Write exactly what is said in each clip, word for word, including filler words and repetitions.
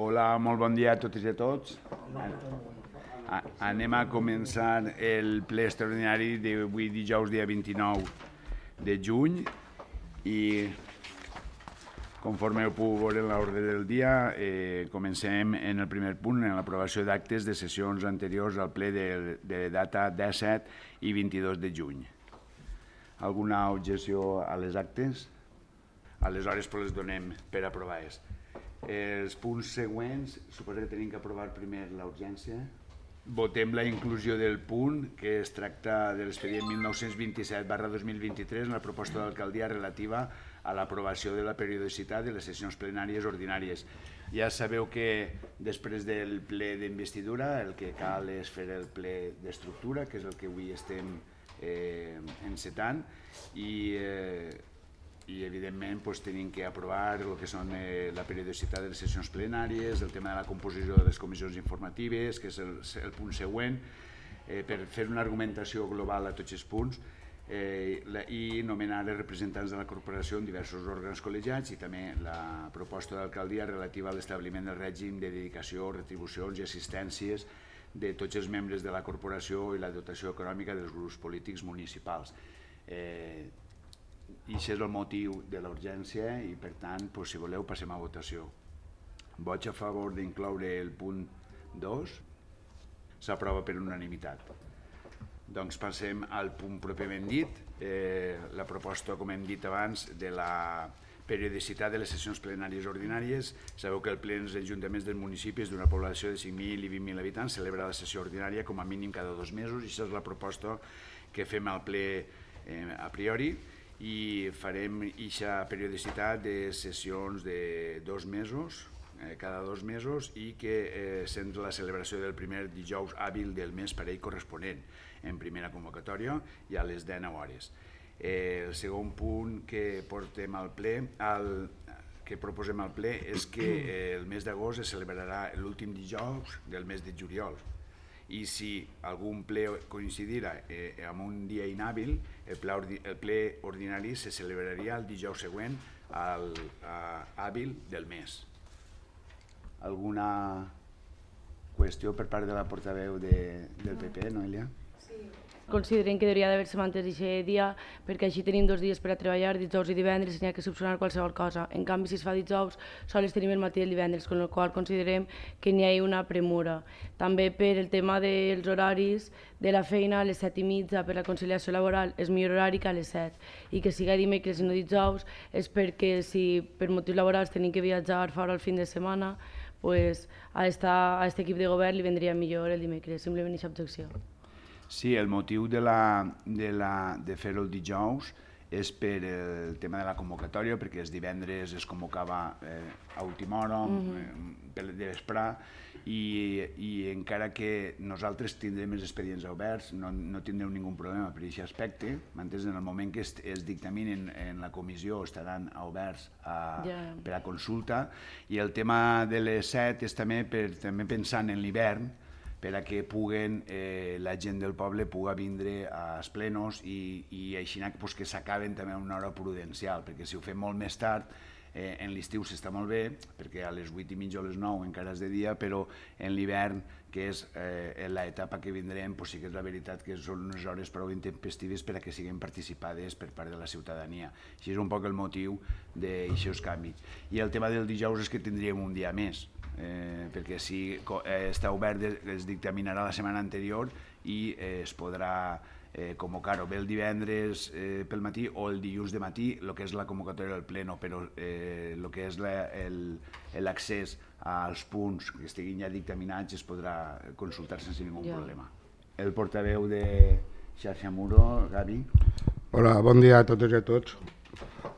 Hola, molt bon dia a totes i a tots. Anem a començar el ple extraordinari d'avui dijous, dia vint-i-nou de juny, i conforme ho puc veure en l'ordre del dia, eh, comencem en el primer punt, en l'aprovació d'actes de sessions anteriors al ple de, de data disset i vint-i-dos de juny. Alguna objecció a les actes? Aleshores pues, les donem per aprovades. Els punts següents, suposo que tenim que aprovar primer l'urgència. Votem la inclusió del punt que es tracta de l'expedient mil nou-cents vint-i-set barra dos mil vint-i-tres en la proposta d'alcaldia relativa a l'aprovació de la periodicitat de les sessions plenàries ordinàries. Ja sabeu que després del ple d'investidura el que cal és fer el ple d'estructura, que és el que avui estem eh, encetant, i eh, i evidentment doncs, tenim que aprovar el que són eh, la periodicitat de les sessions plenàries, el tema de la composició de les comissions informatives, que és el, el punt següent, eh, per fer una argumentació global a tots els punts eh, la, i nomenar els representants de la corporació en diversos òrgans col·legiats, i també la proposta d'alcaldia relativa a l'establiment del règim de dedicació, retribucions i assistències de tots els membres de la corporació i la dotació econòmica dels grups polítics municipals. Eh, I això és el motiu de la urgència i, per tant, doncs, si voleu, passem a votació. Vots a favor d'incloure el punt dos. S'aprova per unanimitat. Doncs passem al punt pròpiament dit, eh, la proposta, com hem dit abans, de la periodicitat de les sessions plenàries ordinàries. Sabeu que el ple dels ajuntaments dels municipis d'una població de cinc mil i vint mil habitants celebra la sessió ordinària com a mínim cada dos mesos, i això és la proposta que fem al ple eh, a priori, i farem aquesta periodicitat de sessions de dos mesos, eh, cada dos mesos, i que eh, sent la celebració del primer dijous hàbil del mes parell corresponent en primera convocatòria i a les dinou hores. Eh, el segon punt que portem al ple, al, que proposem al ple, és que eh, el mes d'agost es celebrarà l'últim dijous del mes de juliol, i si algun ple coincidirà eh, amb un dia inhàbil, el ple, ordi, el ple ordinari se celebraria el dijous següent al a, hàbil del mes. Alguna qüestió per part de la portaveu de, del P P, Noelia? Sí. Considerem que hauria d'haver-se mantès aquest dia, perquè així tenim dos dies per a treballar, dijous i divendres, i n'hi ha que subsanar qualsevol cosa. En canvi, si es fa dijous, sols tenim el matí i el divendres, amb la qual cosa considerem que n'hi ha una premura. També per el tema dels horaris de la feina, a les set i mitja per la conciliació laboral és millor horari que a les set, i que siga dimecres i no dijous és perquè si per motius laborals tenim que viatjar fora el fin de setmana, pues a aquest equip de govern li vendria millor el dimecres, simplement aquesta objecció. Sí, el motiu de, la, de, la, de fer-ho el dijous és per el tema de la convocatòria, perquè els divendres es convocava eh, a última hora, mm-hmm. eh, de vesprà, i, i encara que nosaltres tindrem els expedients oberts, no, no tindrem ningú problema per aquest aspecte. M'entens? En el moment que es, es dictaminen en la comissió estaran oberts a, yeah. per a consulta, i el tema de les set és també, per, també pensant en l'hivern, per a que puguen, eh, la gent del poble pugui vindre als plenos i, i així pues, que s'acaben també a una hora prudencial, perquè si ho fem molt més tard, eh, en l'estiu s'està molt bé, perquè a les vuit i mitja o les nou encara és de dia, però en l'hivern, que és eh, l'etapa que vindrem, pues, sí que és la veritat que són unes hores prou intempestives per a que siguin participades per part de la ciutadania. Així és un poc el motiu d'aixòs canvis. I el tema del dijous és que tindríem un dia més, Eh, perquè si eh, està obert es dictaminarà la setmana anterior i eh, es podrà eh, convocar o bé el divendres eh, pel matí o el dilluns de matí, el que és la convocatòria del pleno, però eh, el que és l'accés als punts que estiguin ja dictaminats es podrà consultar sense ningú yeah. problema. El portaveu de Xarxa Muro, Gavi. Hola, bon dia a totes i a tots.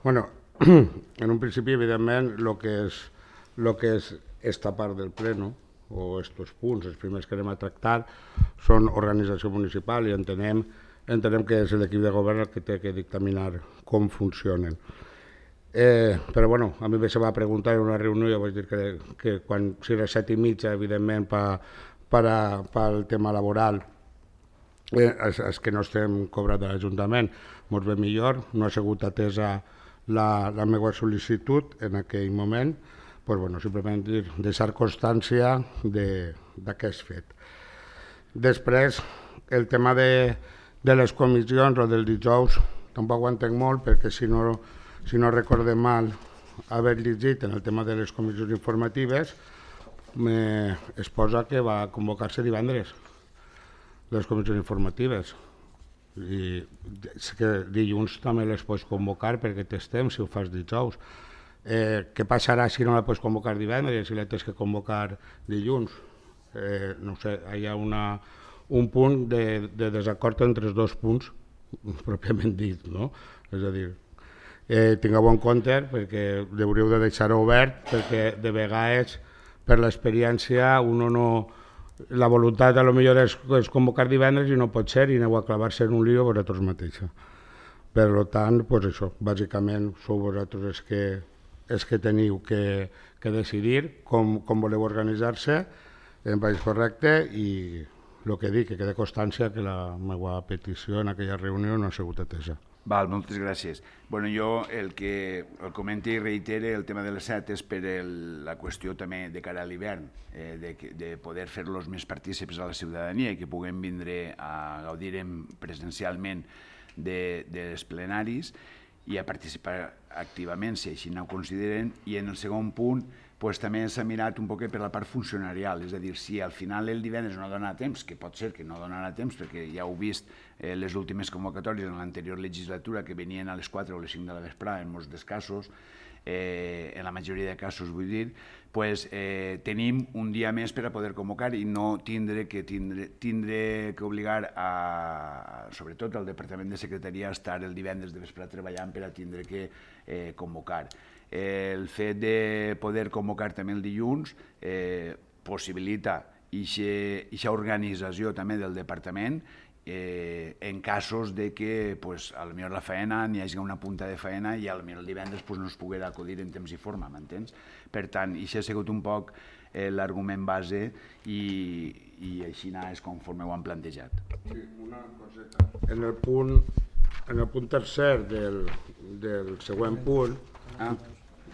Bueno, en un principi, evidentment, el que és, lo que és esta part del pleno, o estos punts, els primers que anem a tractar, són organització municipal i entenem, entenem que és l'equip de govern el que té que dictaminar com funcionen. Eh, però bueno, a mi se va preguntar en una reunió, jo vaig dir que, que quan si era set i mitja, evidentment, pel tema laboral, eh, és, és que no estem cobrats de l'Ajuntament, ens ve millor, no ha sigut atesa la, la meva sol·licitud en aquell moment, pues, bueno, simplement dir, deixar constància d'aquest fet. Després, el tema de, de les comissions o del dijous tampoc ho entenc molt, perquè si no, si no recordem mal haver llegit en el tema de les comissions informatives, me, es posa que va convocar-se divendres les comissions informatives. I és que dilluns també les pots convocar perquè tens temps si ho fas dijous. Eh, què passarà si no la pots convocar divendres, si la tens que convocar dilluns? Eh, no sé, hi ha una, un punt de, de desacord entre els dos punts, pròpiament dit, no? És a dir, eh, tingueu en compte perquè hauríeu de deixar-ho obert, perquè de vegades per l'experiència uno no... La voluntat a lo millor és, és convocar divendres i no pot ser i aneu a clavar-se en un lío vosaltres mateixa. Per tant, pues això, bàsicament sou vosaltres els que, els que teniu que, que decidir com, com voleu organitzar-se en país correcte i el que dic, que queda constància que la meva petició en aquella reunió no ha sigut atesa. Val, moltes gràcies. Bueno, jo el que el comento i reitere el tema de les set és per el, la qüestió també de cara a l'hivern, eh, de, de poder fer-los més partícips a la ciutadania i que puguem vindre a gaudir presencialment de, dels plenaris i a participar activament, si així no ho consideren. I en el segon punt, pues, també s'ha mirat un poquet per la part funcionarial, és a dir, si al final el divendres no dona temps, que pot ser que no donarà temps, perquè ja heu vist eh, les últimes convocatòries en l'anterior legislatura que venien a les quatre o les cinc de la vesprada en molts dels casos, eh, en la majoria de casos vull dir, pues, eh, tenim un dia més per a poder convocar i no tindre que, tindre, tindre que obligar a, sobretot al Departament de Secretaria a estar el divendres de vesprada treballant per a tindre que eh, convocar. El fet de poder convocar també el dilluns eh, possibilita aquesta organització també del departament eh, en casos de que pues, a lo millor la feina n'hi hagi una punta de feina i a lo millor el divendres pues, no es poguera acudir en temps i forma, m'entens? Per tant, això ha sigut un poc eh, l'argument base i, i així és conforme ho han plantejat. Sí, una coseta. En el punt, en el punt tercer del, del següent punt, ah.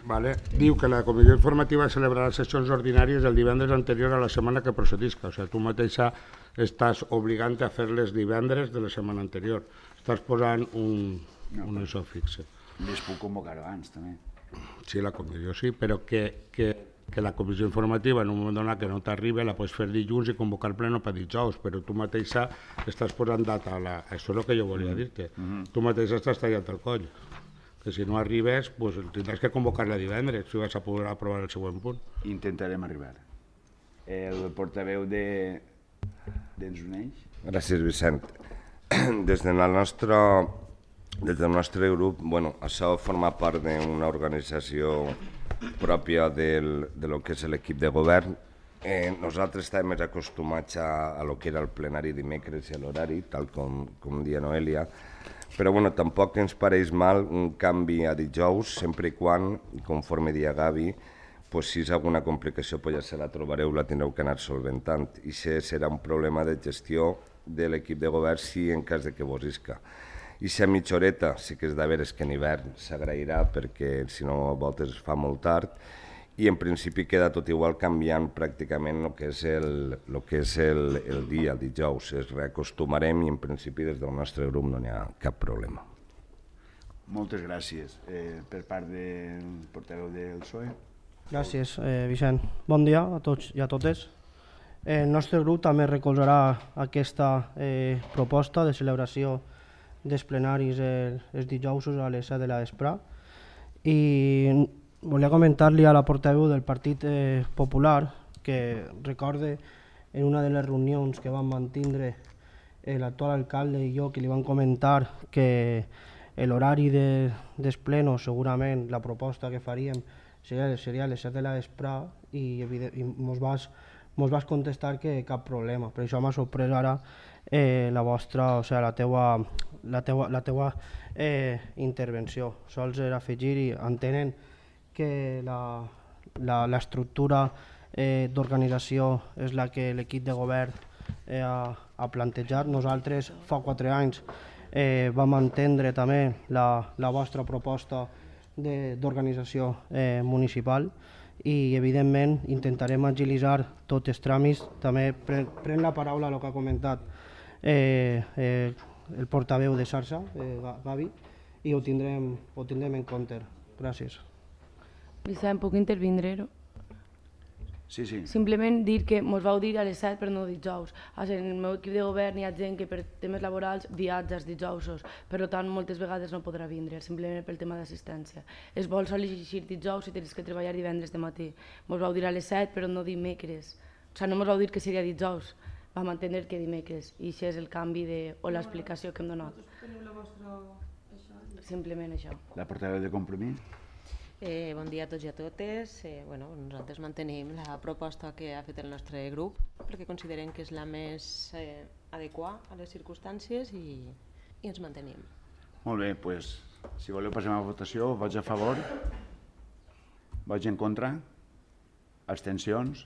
Vale. Diu que la comissió informativa celebrarà sessions ordinàries el divendres anterior a la setmana que procedisca. O sigui, tu mateixa estàs obligant a fer-les divendres de la setmana anterior. Estàs posant un, no, un això fixe. Les puc convocar abans, també. Sí, la comissió sí, però que, que, que la comissió informativa en un moment donat que no t'arriba la pots fer dilluns i convocar pleno per dijous, però tu mateixa estàs posant data a la... Això és el que jo volia dir-te. Mm-hmm. Tu mateixa estàs tallant el coll. Que si no arribes, pues, tindràs que convocar-la divendres si vas a poder aprovar el següent punt. Intentarem arribar. El portaveu de... d'Ens Uneix. Gràcies, Vicent. Des, de la nostra, des del nostre grup, bueno, això forma part d'una organització pròpia del, de lo que és l'equip de govern. Eh, nosaltres estàvem més acostumats a, a lo que era el plenari dimecres i a l'horari, tal com, com dia Noelia, però bueno, tampoc ens pareix mal un canvi a dijous, sempre i quan, conforme dia Gavi, pues, si és alguna complicació, pues ja se la trobareu, la tindreu que anar solventant. I això serà un problema de gestió de l'equip de govern si en cas de que vos isca. I si a mitja horeta, sí que és de veres que en hivern s'agrairà perquè si no a voltes es fa molt tard, i en principi queda tot igual canviant pràcticament el que és el, el, que és el, el dia, el dijous. Es reacostumarem i en principi des del nostre grup no n'hi ha cap problema. Moltes gràcies. Eh, per part del portaveu del P S O E. Gràcies, eh, Vicent. Bon dia a tots i a totes. El nostre grup també recolzarà aquesta eh, proposta de celebració dels plenaris el, els dijousos a les set de la vesprada. I volia comentar-li a la portaveu del Partit eh, Popular que recorde en una de les reunions que vam mantindre l'actual alcalde i jo, que li van comentar que l'horari de, dels plenos, segurament la proposta que faríem seria, seria a les set de la vesprada i, i mos, vas, mos vas contestar que cap problema. Per això m'ha sorprès ara eh, la vostra, o sigui, la teua, la teua, la teua eh, intervenció. Sols era afegir i entenen que l'estructura eh, d'organització és la que l'equip de govern eh, ha, ha plantejat. Nosaltres fa quatre anys eh, vam entendre també la, la vostra proposta d'organització eh, municipal i evidentment intentarem agilitzar tots els tràmits. També pren, pren la paraula el que ha comentat eh, eh, el portaveu de xarxa, eh, Gavi, i ho tindrem, ho tindrem en compte. Gràcies. Vicent, puc intervindre? No? Sí, sí. Simplement dir que ens vau dir a les set per no dijous. En el meu equip de govern hi ha gent que per temes laborals viatja els dijousos, per tant moltes vegades no podrà vindre, simplement pel tema d'assistència. Es vol sol·licitar dijous si tens que treballar divendres de matí. Ens vau dir a les set però no dimecres. O sigui, no ens vau dir que seria dijous, vam entendre que dimecres, i això és el canvi de, o l'explicació que hem donat. Simplement això. La portaveu de Compromís? Eh, bon dia a tots i a totes. Eh, bueno, nosaltres mantenim la proposta que ha fet el nostre grup perquè considerem que és la més eh, adequada a les circumstàncies i, i ens mantenim. Molt bé, doncs, si voleu passem a votació. Vots a favor? Vots en contra? Abstencions?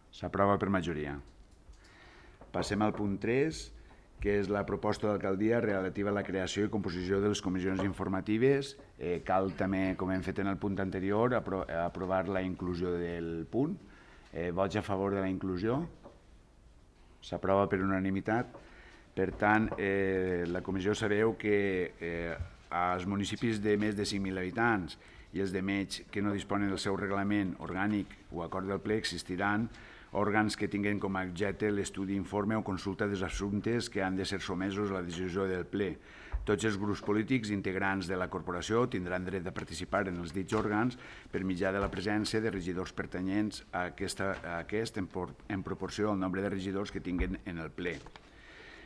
S'aprova per majoria. Passem al punt tres, que és la proposta d'alcaldia relativa a la creació i composició de les comissions informatives. Eh, cal també, com hem fet en el punt anterior, apro aprovar la inclusió del punt. Eh, vots a favor de la inclusió? S'aprova per unanimitat. Per tant, eh, la comissió sabeu que eh, als municipis de més de cinc mil habitants i els de menys que no disponen del seu reglament orgànic o acord del ple existiran òrgans que tinguen com a objecte l'estudi, informe o consulta dels assumptes que han de ser somesos a la decisió del ple. Tots els grups polítics integrants de la corporació tindran dret a participar en els dits òrgans per mitjà de la presència de regidors pertanyents a, aquesta, a aquest en, por, en proporció al nombre de regidors que tinguen en el ple.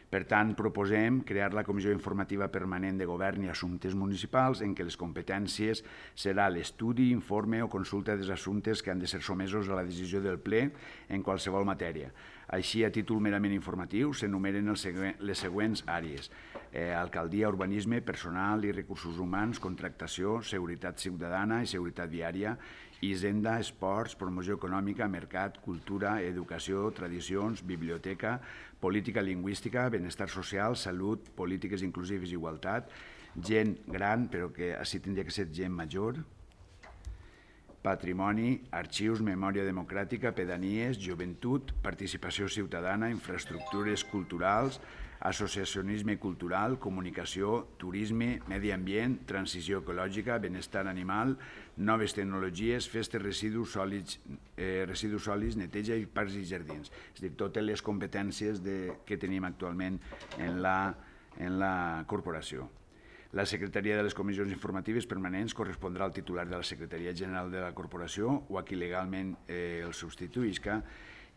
Per tant, proposem crear la Comissió Informativa Permanent de Govern i Assumptes Municipals en què les competències serà l'estudi, informe o consulta dels assumptes que han de ser somesos a la decisió del ple en qualsevol matèria. Així, a títol merament informatiu, s'enumeren les següents àrees: eh, alcaldia, urbanisme, personal i recursos humans, contractació, seguretat ciutadana i seguretat viària, hisenda, esports, promoció econòmica, mercat, cultura, educació, tradicions, biblioteca, política lingüística, benestar social, salut, polítiques inclusives i igualtat, gent gran, però que així tindria que ser gent major, patrimoni, arxius, memòria democràtica, pedanies, joventut, participació ciutadana, infraestructures culturals, associacionisme cultural, comunicació, turisme, medi ambient, transició ecològica, benestar animal, noves tecnologies, festes, residus sòlids, eh, residus sòlids, neteja i parcs i jardins. És a dir, totes les competències de, que tenim actualment en la, en la corporació. La Secretaria de les Comissions Informatives Permanents correspondrà al titular de la Secretaria General de la Corporació o a qui legalment eh, el substituïsca.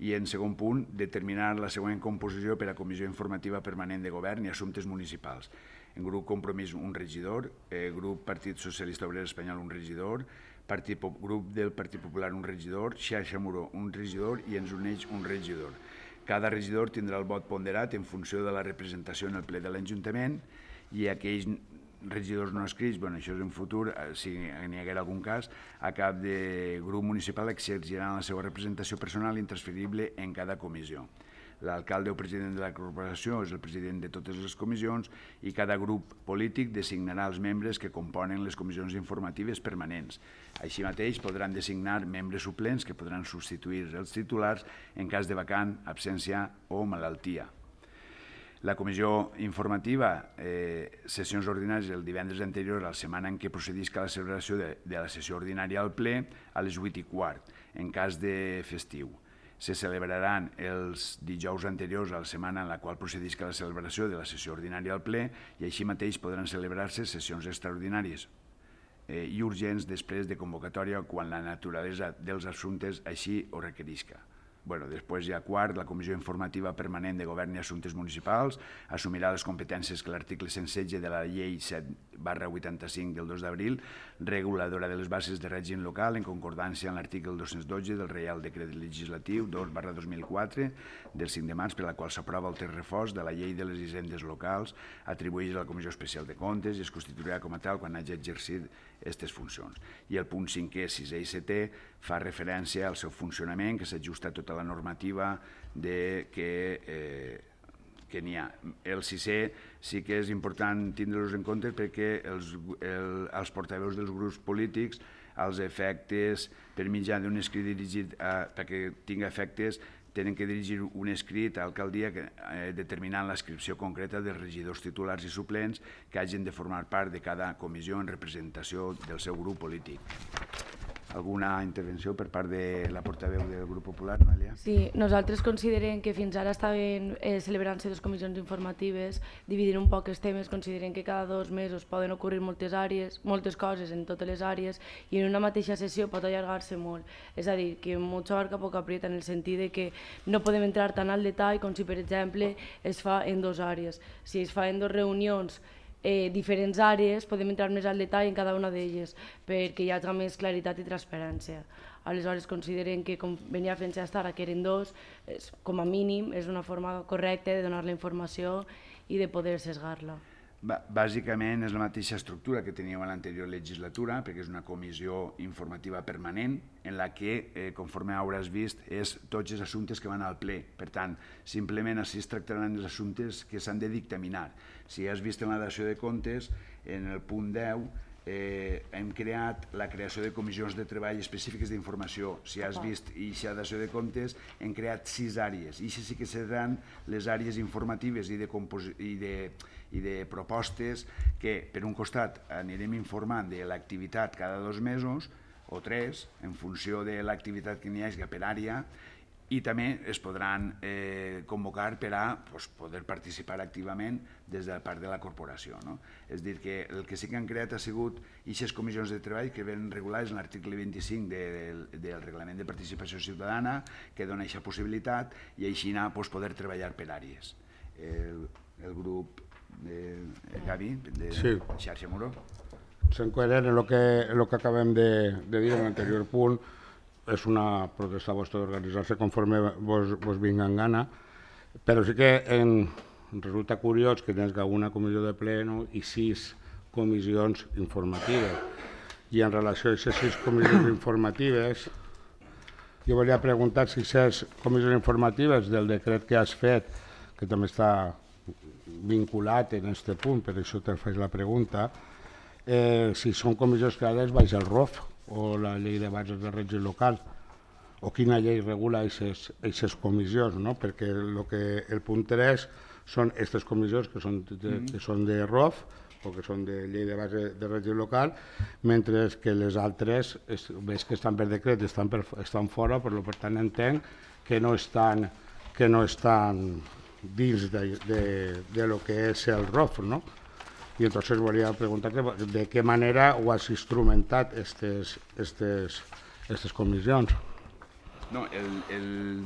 I en segon punt, determinar la següent composició per a Comissió Informativa Permanent de Govern i Assumptes Municipals. En grup Compromís, un regidor, eh, grup Partit Socialista Obrer Espanyol, un regidor, Partit, grup del Partit Popular, un regidor, Xarxa Muró, un regidor i Ens Uneix, un regidor. Cada regidor tindrà el vot ponderat en funció de la representació en el ple de l'Ajuntament i aquells regidors no escrits, bueno, això és en futur, si n'hi haguera algun cas, a cap de grup municipal exerciran la seva representació personal intransferible en cada comissió. L'alcalde o president de la corporació és el president de totes les comissions i cada grup polític designarà els membres que componen les comissions informatives permanents. Així mateix podran designar membres suplents que podran substituir els titulars en cas de vacant, absència o malaltia. La comissió informativa, eh, sessions ordinàries el divendres anterior a la setmana en què procedisca a la celebració de, de la sessió ordinària al ple a les vuit i quart, en cas de festiu. Se celebraran els dijous anteriors a la setmana en la qual procedisca la celebració de la sessió ordinària al ple i així mateix podran celebrar-se sessions extraordinàries eh, i urgents després de convocatòria quan la naturalesa dels assumptes així ho requerisca. Bueno, després ja quart, la Comissió Informativa Permanent de Govern i Assumptes Municipals assumirà les competències que l'article cent setze de la Llei set barra vuitanta-cinc del dos d'abril, reguladora de les bases de règim local en concordància amb l'article dos-cents dotze del Reial Decret Legislatiu dos barra dos mil quatre del cinc de març, per la qual s'aprova el text refós de la Llei de les Hisendes Locals, atribuïts a la Comissió Especial de Comptes i es constituirà com a tal quan hagi exercit aquestes funcions. I el punt cinquè, sisè i setè fa referència al seu funcionament, que s'ajusta a tota la normativa de que, eh, que n'hi ha. El sisè sí que és important tindre-los en compte perquè els, el, els portaveus dels grups polítics als efectes per mitjà d'un escrit dirigit a, perquè tingui efectes, tenen que dirigir un escrit a l'alcaldia eh, determinant l'inscripció concreta dels regidors titulars i suplents que hagin de formar part de cada comissió en representació del seu grup polític. Alguna intervenció per part de la portaveu del grup popular, Noelia? Sí, nosaltres considerem que fins ara estaven eh, celebrant-se dues comissions informatives, dividint un poc els temes, considerem que cada dos mesos poden ocorrir moltes àrees, moltes coses en totes les àrees, i en una mateixa sessió pot allargar-se molt. És a dir, que mucho abarca poco aprieta, en el sentit de que no podem entrar tan al detall com si, per exemple, es fa en dues àrees. Si es fa en dues reunions Eh, diferents àrees, podem entrar més al detall en cada una d'elles, perquè hi hagi més claritat i transparència. Aleshores considerem que, com venia fent-se fins ara, que eren dos, és, com a mínim és una forma correcta de donar la informació i de poder sesgar-la. Bàsicament és la mateixa estructura que teníem a l'anterior legislatura, perquè és una comissió informativa permanent en la que, eh, conforme hauràs vist, és tots els assumptes que van al ple. Per tant, simplement així es tractaran els assumptes que s'han de dictaminar. Si has vist en la dació de comptes, en el punt deu, eh, hem creat la creació de comissions de treball específiques d'informació. Si has vist aquesta dació de comptes, hem creat sis àrees. I això sí que seran les àrees informatives i de, i de, i de propostes que, per un costat, anirem informant de l'activitat cada dos mesos o tres, en funció de l'activitat que n'hi hagi per àrea, i també es podran eh, convocar per a pues, poder participar activament des de la part de la corporació. No? És a dir, que el que sí que han creat ha sigut aquestes comissions de treball que ven regulades en l'article vint-i-cinc de, de, del Reglament de Participació Ciutadana, que dona aquesta possibilitat, i així anar, pues, poder treballar per àrees. El, el grup de Gavi, de sí. Xarxa Muro. Sent coherent en el que, el que acabem de, de dir en l'anterior punt, és una protesta vostra d'organitzar-se conforme vos, vos vinga en gana, però sí que en, resulta curiós que tens una comissió de pleno i sis comissions informatives. I en relació a aquestes sis comissions informatives, jo volia preguntar si aquestes comissions informatives del decret que has fet, que també està vinculat en aquest punt, per això te faig la pregunta, eh, si són comissions creades baix el R O F, o la llei de bases de règim local, o quina llei regula aquestes comissions, no? Perquè el, que, el punt tres són aquestes comissions que són de, que són de R O F o que són de llei de base de règim local, mentre que les altres, ves que estan per decret, estan, per, estan fora, però per tant entenc que no estan, que no estan dins de, de, de lo que és el R O F, no? I entonces volia preguntar de què manera ho has instrumentat aquestes comissions. No, el, el,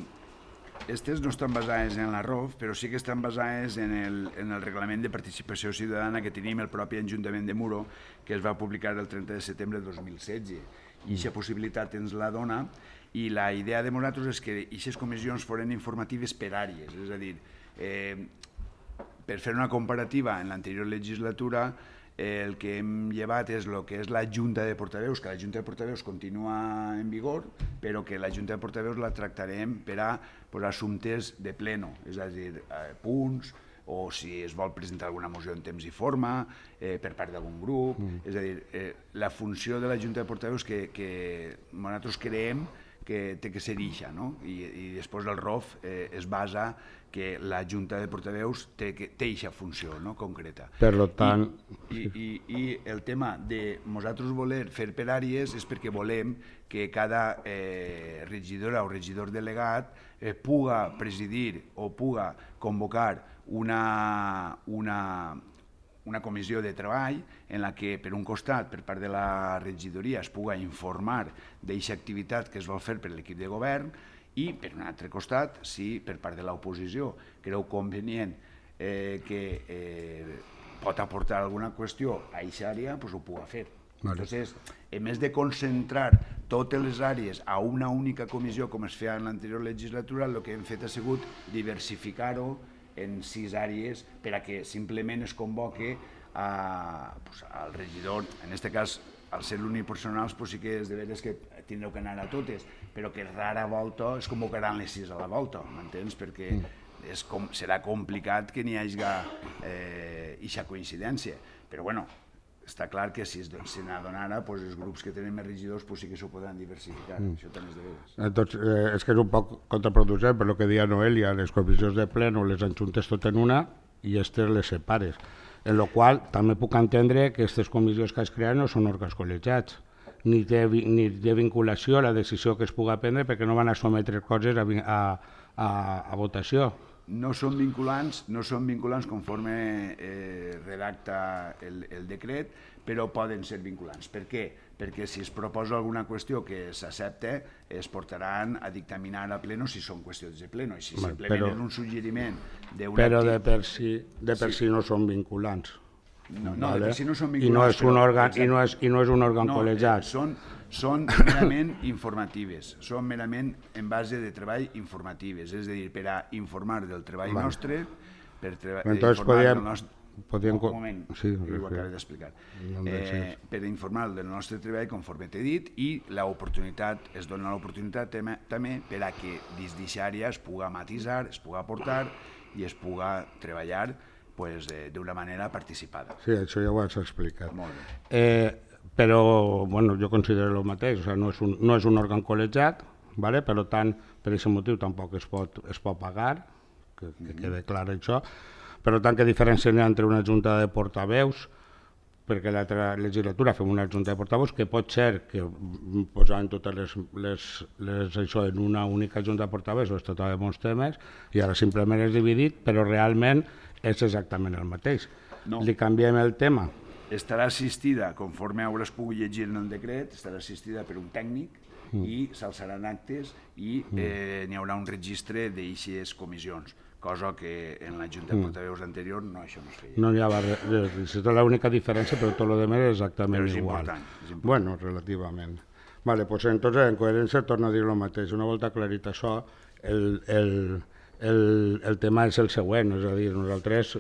estes no estan basades en la R O F, però sí que estan basades en el, en el Reglament de Participació Ciutadana que tenim el propi Ajuntament de Muro, que es va publicar el trenta de setembre de dos mil setze. I aquesta possibilitat ens la dona, i la idea de nosaltres és que aquestes comissions foren informatives per àrees, és a dir, eh, per fer una comparativa, en l'anterior legislatura eh, el que hem llevat és el que és la Junta de Portaveus, que la Junta de Portaveus continua en vigor, però que la Junta de Portaveus la tractarem per a pues, assumptes de pleno, és a dir, eh, punts, o si es vol presentar alguna moció en temps i forma, eh, per part d'algun grup, mm. és a dir, eh, la funció de la Junta de Portaveus que, que nosaltres creiem que té que ser ixa, no? I, i després el R O F eh, es basa que la Junta de Portaveus té ixa funció, no? Concreta. Per tant... I, i, i, I el tema de nosaltres voler fer per àrees és perquè volem que cada eh, regidora o regidor delegat eh, puga presidir o puga convocar una, una, una comissió de treball en la que, per un costat, per part de la regidoria, es puga informar d'aquesta activitat que es vol fer per l'equip de govern i, per un altre costat, si per part de l'oposició creu convenient eh, que eh, pot aportar alguna qüestió a aquesta àrea, doncs ho puga fer. Vale. Entonces, en més de concentrar totes les àrees a una única comissió, com es feia en l'anterior legislatura, el que hem fet ha sigut diversificar-ho en sis àrees per a que simplement es convoque a, pues, al regidor, en aquest cas, al ser l'unipersonal, pues, sí que és de veres que tindreu que anar a totes, però que rara volta es convocaran les sis a la volta, m'entens? Perquè és com, serà complicat que n'hi hagi aquesta eh, coincidència. Però bueno, està clar que si se n'adonara, els grups que tenen més regidors sí que s'ho podran diversificar, això també és de veres. Entonces, és que és un poc contraproducent, per el que deia Noelia, les comissions de pleno les enxuntes tot en una i aquestes les separes. En la qual també puc entendre que aquestes comissions que has creat no són òrgans col·legiats, ni té vinculació a la decisió que es pugui prendre perquè no van a sometre coses a votació. No són vinculants, no són vinculants conforme redacta el decret, però poden ser vinculants. Per què? Perquè si es proposa alguna qüestió que s'accepta, es portaran a dictaminar a pleno si són qüestions de pleno. I si simplement és un suggeriment d'un... Però de per si no són vinculants. No, de per si no són vinculants. I no és un òrgan col·legiat. Són merament informatives, són merament en base de treball informatives, és a dir, per a informar del treball nostre, per informar del nostre... Un moment, ho acabé d'explicar. Per informar del nostre treball, conforme t'he dit, i l'oportunitat, es dona l'oportunitat també per a que dins d'aquesta àrea es pugui matisar, es pugui aportar i es pugui treballar d'una manera participada. Sí, això ja ho has explicat. Molt bé. Però jo considero el mateix, no és un òrgan col·legiat, per tant, per aquest motiu tampoc es pot pagar, que quede clar això. Per tant, què diferència hi ha entre una junta de portaveus, perquè l'altra legislatura fem una junta de portaveus, que pot ser que posant totes les això en una única junta de portaveus o es tractava de molts temes, i ara simplement és dividit, però realment és exactament el mateix. Li canviem el tema. Estarà assistida, conforme hauràs pogut llegir en el decret, estarà assistida per un tècnic i s'alçaran actes i n'hi haurà un registre d'aixes comissions, cosa que en la Junta de Portaveus anterior no, això no es feia. No n'hi havia res, és l'única diferència, però tot el rest és exactament igual. Però és important. Bueno, relativament. Vale, doncs entonces en coherència torno a dir el mateix. Una volta aclarit això, el... El tema és el següent, és a dir, nosaltres,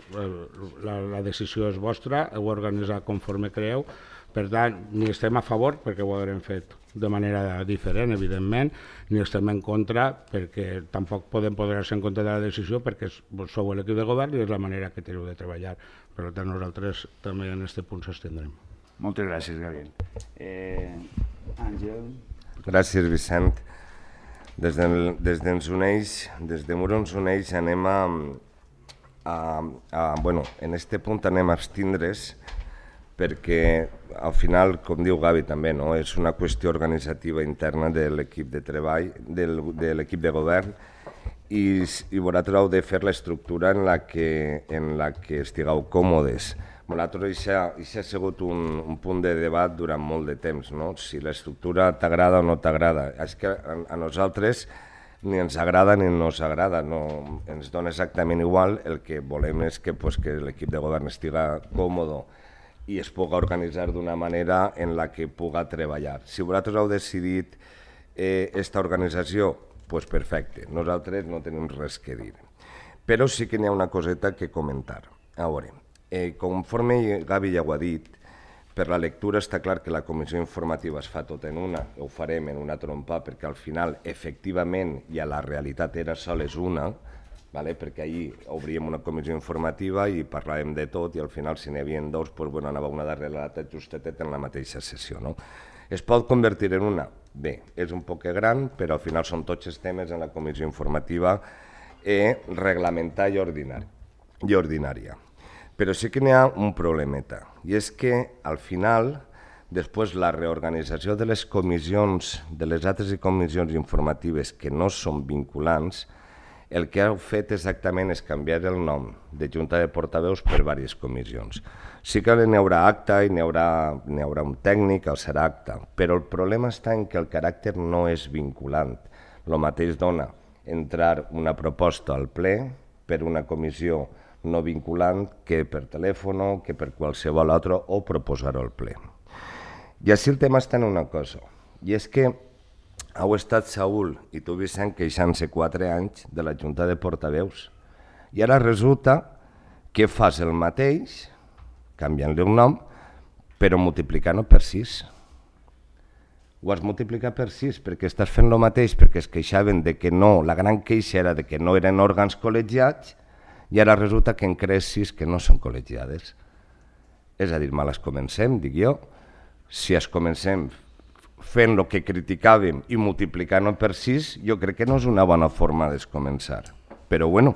la decisió és vostra, heu organitzat conforme creeu, per tant, ni estem a favor, perquè ho haurem fet de manera diferent, evidentment, ni estem en contra, perquè tampoc podem posar-se en contra de la decisió, perquè sou l'equip de govern i és la manera que teniu de treballar. Per tant, nosaltres també en aquest punt s'estendrem. Moltes gràcies, Gabriel. Àngel. Gràcies, Vicent. Des d'ens uneix, des de Muro ens uneix, anem a, bueno, en aquest punt anem a abstindre's perquè al final, com diu Gavi també, és una qüestió organitzativa interna de l'equip de treball, de l'equip de govern i vosaltres heu de fer l'estructura en la que estigueu còmodes. Vosaltres això ha sigut un punt de debat durant molt de temps, si l'estructura t'agrada o no t'agrada. És que a nosaltres ni ens agrada ni no ens agrada, ens dona exactament igual, el que volem és que l'equip de govern estigui còmode i es pugui organitzar d'una manera en la que pugui treballar. Si vosaltres heu decidit aquesta organització, doncs perfecte, nosaltres no tenim res que dir. Però sí que n'hi ha una coseta que comentar. A veure, conforme Gavi ja ho ha dit, per la lectura està clar que la comissió informativa es fa tot en una, ho farem en una trompa, perquè al final, efectivament, i a la realitat era sols una, perquè ahir obríem una comissió informativa i parlàvem de tot i al final, si n'hi havia dos, anava una darrere l'altra justetet en la mateixa sessió. Es pot convertir en una? Bé, és un poc gran, però al final són tots els temes en la comissió informativa reglamentar i ordinària. Però sí que n'hi ha un problemeta, i és que al final, després la reorganització de les comissions, de les altres comissions informatives que no són vinculants, el que heu fet exactament és canviar el nom de Junta de Portaveus per diverses comissions. Sí que n'hi haurà acta i n'hi haurà un tècnic, el serà acta, però el problema està en que el caràcter no és vinculant. El mateix dona entrar una proposta al ple per una comissió no vinculant que per telèfon, que per qualsevol altre, o proposar-ho al ple. I així el tema està en una cosa, i és que heu estat, Saúl, i tu, Vicent, queixant-se quatre anys de la Junta de Portaveus, i ara resulta que fas el mateix, canviant-li un nom, però multiplicant-ho per sis. Ho has multiplicat per sis perquè estàs fent el mateix, perquè es queixaven de que no, la gran queixa era de que no eren òrgans col·legiats, i ara resulta que en crees sis que no són col·legiades. és a dir, me les comencem, dic jo, si es comencem fent el que criticàvem i multiplicant-ho per sis, jo crec que no és una bona forma de començar. Però bueno,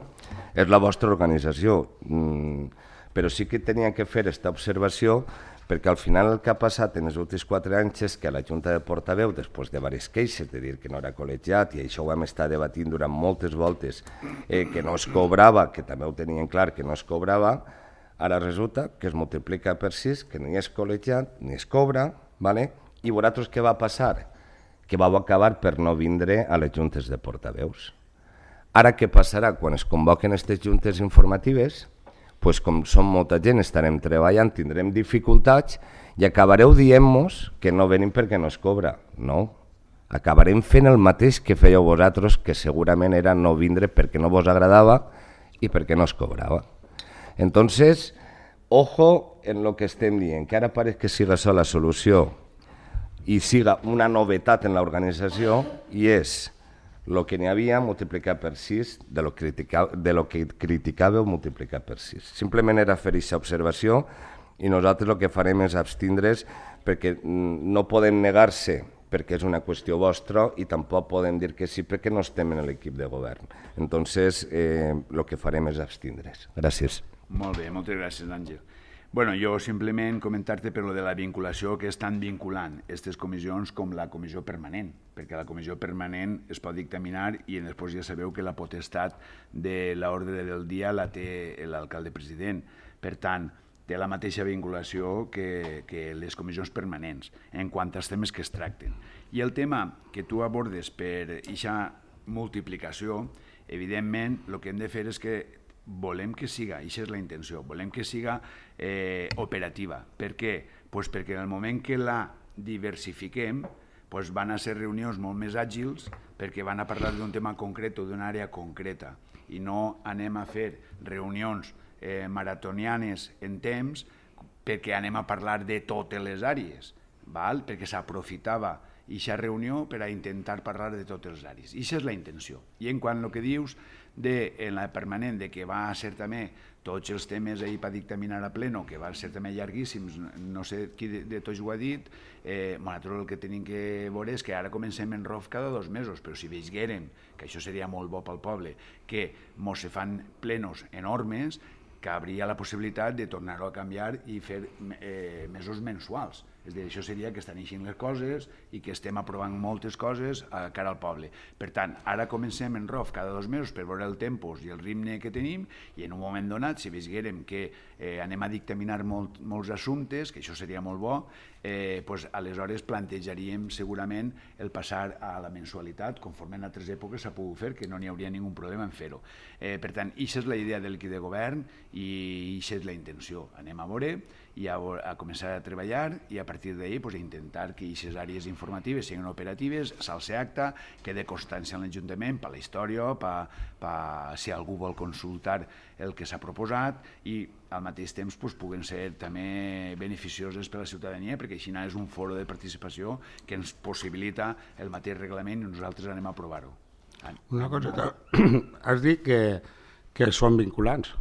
és la vostra organització. Mm, però sí que tenia que fer aquesta observació perquè al final el que ha passat en els últims quatre anys és que la Junta de Portaveu, després de diverses queixes de dir que no era col·legiat, i això ho vam estar debatint durant moltes voltes, eh, que no es cobrava, que també ho tenien clar que no es cobrava, ara resulta que es multiplica per sis, que ni és col·legiat ni es cobra, ¿vale? I vosaltres què va passar? Que vau acabar per no vindre a les juntes de portaveus. Ara què passarà? Quan es convoquen aquestes juntes informatives, pues com som molta gent, estarem treballant, tindrem dificultats i acabareu dient-nos que no venim perquè no es cobra. No, acabarem fent el mateix que fèieu vosaltres, que segurament era no vindre perquè no vos agradava i perquè no es cobrava. Entonces, ojo en lo que estem dient, que ara pareix que siga sola la solució i siga una novetat en l'organització, i és el que n'hi havia multiplicat per sis, de lo, critica, de lo que criticàveu multiplicat per sis. Simplement era fer aquesta observació i nosaltres el que farem és abstindre's perquè no podem negar-se perquè és una qüestió vostra i tampoc podem dir que sí perquè no estem en l'equip de govern. Entonces, eh, el que farem és abstindre's. Gràcies. Molt bé, moltes gràcies, Àngel. Bueno, jo simplement comentar-te per lo de la vinculació, que és tan vinculant aquestes comissions com la comissió permanent, perquè la comissió permanent es pot dictaminar i després ja sabeu que la potestat de l'ordre del dia la té l'alcalde president. Per tant, té la mateixa vinculació que, que les comissions permanents en quant als temes que es tracten. I el tema que tu abordes per aquesta multiplicació, evidentment, el que hem de fer és que volem que siga, això és la intenció, volem que siga eh, operativa. Per què? Pues perquè en el moment que la diversifiquem pues van a ser reunions molt més àgils perquè van a parlar d'un tema concret o d'una àrea concreta i no anem a fer reunions eh, maratonianes en temps perquè anem a parlar de totes les àrees, val? Perquè s'aprofitava aquesta reunió per a intentar parlar de totes les àrees. I això és la intenció. I en quant al que dius de, en la permanent, de que va ser també tots els temes ahir per dictaminar a pleno, que van ser també llarguíssims, no sé qui de, de tots ho ha dit, eh, nosaltres el que tenim que veure és que ara comencem en R O F cada dos mesos, però si veiguérem, que això seria molt bo pel poble, que mos se fan plenos enormes, que hauria la possibilitat de tornar-ho a canviar i fer eh, mesos mensuals. És a dir, això seria que estan eixint les coses i que estem aprovant moltes coses a cara al poble. Per tant, ara comencem en R O F cada dos mesos per veure el tempos i el ritme que tenim i en un moment donat, si veiguérem que eh, anem a dictaminar molt, molts assumptes, que això seria molt bo, eh, pues, aleshores plantejaríem segurament el passar a la mensualitat, conforme en altres èpoques s'ha pogut fer, que no n'hi hauria ningú problema en fer-ho. Eh, per tant, aquesta és la idea de l'equip de govern i aquesta és la intenció. Anem a veure i a, a començar a treballar i a partir d'ahir pues, intentar que aquestes àrees informatives siguin operatives, s'alce acta, quede constància en l'Ajuntament per la història, per, per, si algú vol consultar el que s'ha proposat i al mateix temps pues, puguen ser també beneficioses per a la ciutadania perquè així és un foro de participació que ens possibilita el mateix reglament i nosaltres anem a aprovar-ho. Una cosa, has dit que, que són vinculants.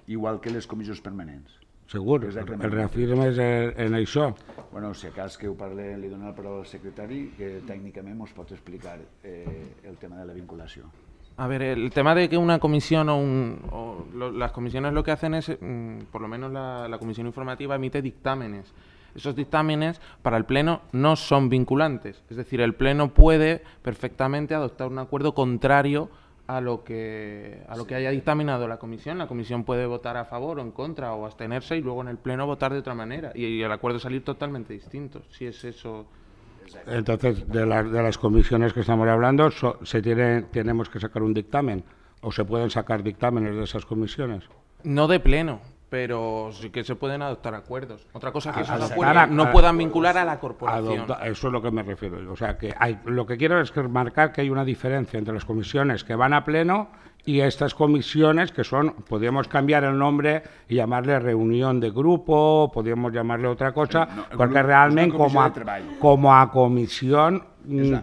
Igual que les comissions permanents. Segur, el reafirmes en això. Bueno, si acas que ho parle, li dono la paraula al secretari, que tècnicament ens pot explicar eh, el tema de la vinculació. A ver, el tema de que una comisión o, un, o lo, las comisiones lo que hacen es, mm, por lo menos la, la comisión informativa emite dictámenes. Esos dictámenes para el Pleno no son vinculantes. Es decir, el Pleno puede perfectamente adoptar un acuerdo contrario a lo que a lo que haya dictaminado la comisión. La comisión puede votar a favor o en contra o abstenerse y luego en el Pleno votar de otra manera y, y el acuerdo salir totalmente distinto, si es eso. Entonces, de, la, de las comisiones que estamos hablando, so, se tiene, tenemos que sacar un dictamen o se pueden sacar dictámenes de esas comisiones. No de Pleno, pero sí que se pueden adoptar acuerdos. Otra cosa que a, esos a acuerdos a, no puedan vincular a la corporación. Adopta, eso es lo que me refiero. O sea, que hay, lo que quiero es que marcar que hay una diferencia entre las comisiones que van a Pleno y estas comisiones que son, podríamos cambiar el nombre y llamarle reunión de grupo, podríamos llamarle otra cosa, no, porque grup, realmente como a, como a comisión,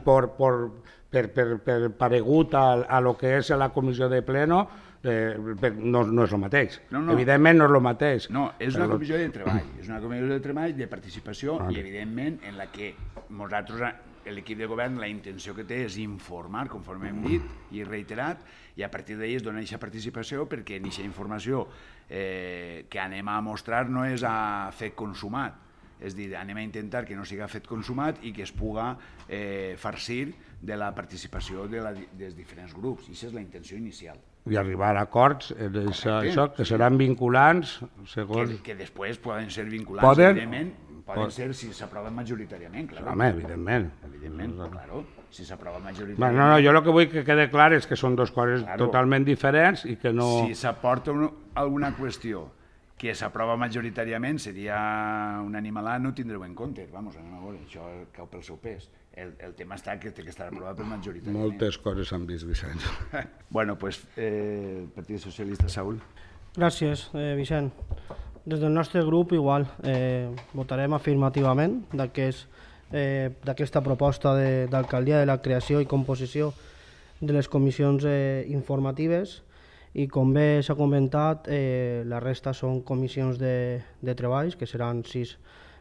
por, por, per, per, per paregut a, a lo que es la comissió de Pleno, eh, no, no és el mateix. No, no. Evidentment no és el mateix. No, és una Però- comissió de treball, és una comissió de treball de participació Vale. i, evidentment, en la que nosaltres, l'equip de govern, la intenció que té és informar, conforme hem dit i reiterat, i a partir d'ahir es dona aquesta participació perquè aquesta informació eh, que anem a mostrar no és a fet consumat, és a dir, anem a intentar que no siga fet consumat i que es puga eh, farcir de la participació de la, dels diferents grups. I aquesta és la intenció inicial. I arribar a acords, en això, Correcte, això, que seran vinculants, segons... Que, que després poden ser vinculants, Poden- evidentment, poden pot- ser si s'aproven majoritàriament, clar. Home, evidentment. Evidentment, claro, si s'aprova Bueno, majoritàriament. no, no, jo el que vull que quede clar és que són dues coses Claro. totalment diferents i que no... Si s'aporta un, alguna qüestió que s'aprova majoritàriament, seria un animalà, no tindreu en compte. Vamos, anem a veure, això cau pel seu pes. El, el tema està que té que estar aprovat per majoritàriament. Moltes coses s'han vist, Vicenç. Bueno, pues, eh, el Partit Socialista, Saúl. Gràcies, eh, Vicent. Des del nostre grup, igual, eh, votarem afirmativament d'aquest, eh, d'aquesta proposta de- d'alcaldia de la creació i composició de les comissions eh, informatives i, com bé s'ha comentat, eh, la resta són comissions de, de treballs, que seran sis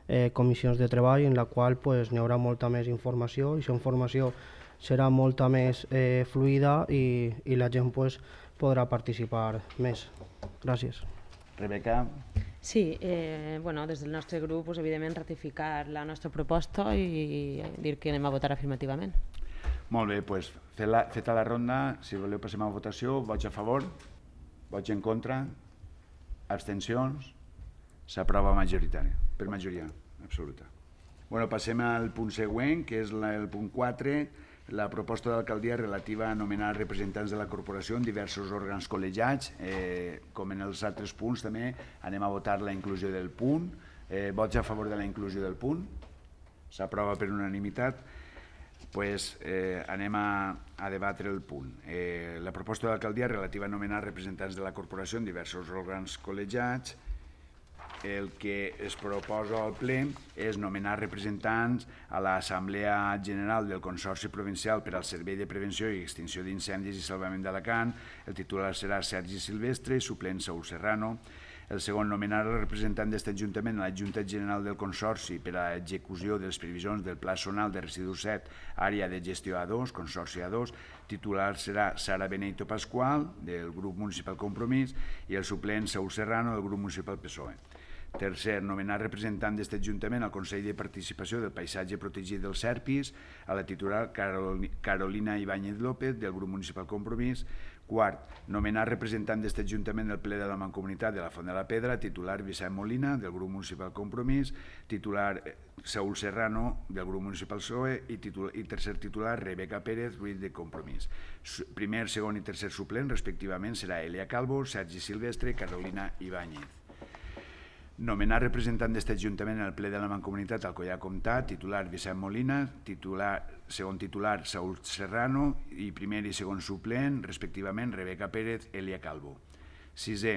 eh, comissions de treball en la qual pues, n'hi haurà molta més informació i aquesta informació serà molta més eh, fluida i, i la gent pues, podrà participar més. Gràcies. Rebeca. Sí, eh, bueno, des del nostre grup, pues, evidentment, ratificar la nostra proposta i dir que anem a votar afirmativament. Molt bé, doncs, feta, feta la ronda, si voleu passem a votació, vots a favor, vots en contra, abstencions, s'aprova majoritària, per majoria absoluta. Bueno, passem al punt següent, que és la, el punt quatre, la proposta d'alcaldia relativa a nomenar representants de la corporació en diversos òrgans col·legiats. Eh, com en els altres punts també anem a votar la inclusió del punt. Eh, vots a favor de la inclusió del punt? S'aprova per unanimitat. Pues, eh, anem a, a debatre el punt. Eh, la proposta d'alcaldia relativa a nomenar representants de la corporació en diversos òrgans col·legiats. El que es proposa al ple és nomenar representants a l'Assemblea General del Consorci Provincial per al Servei de Prevenció i Extinció d'Incendis i Salvament d'Alacant. El titular serà Sergi Silvestre, suplent Saúl Serrano. El segon, nomenar el representant d'aquest Ajuntament a la Junta General del Consorci per a l'execució de les previsions del Pla Zonal de Residus set, àrea de gestió A dos, Consorci A dos. Titular serà Sara Benito Pasqual, del grup municipal Compromís, i el suplent Saúl Serrano, del grup municipal P S O E. Tercer, nomenar representant d'aquest Ajuntament al Consell de Participació del Paisatge Protegit dels Serpis, a la titular Carolina Ibáñez López, del grup municipal Compromís. Quart, nomenar representant d'aquest Ajuntament al ple de la Mancomunitat de la Font de la Pedra, titular Vicent Molina, del grup municipal Compromís, titular Saúl Serrano, del grup municipal P S O E, i, titular, i tercer titular Rebeca Pérez Ruiz, de Compromís. Primer, segon i tercer suplent, respectivament, serà Elia Calvo, Sergi Silvestre i Carolina Ibáñez. Nomenar representant d'aquest Ajuntament al ple de la Mancomunitat Alcoià Comtat, titular Vicent Molina, titular, segon titular Saúl Serrano i primer i segon suplent, respectivament, Rebeca Pérez, Elia Calvo. Sisè,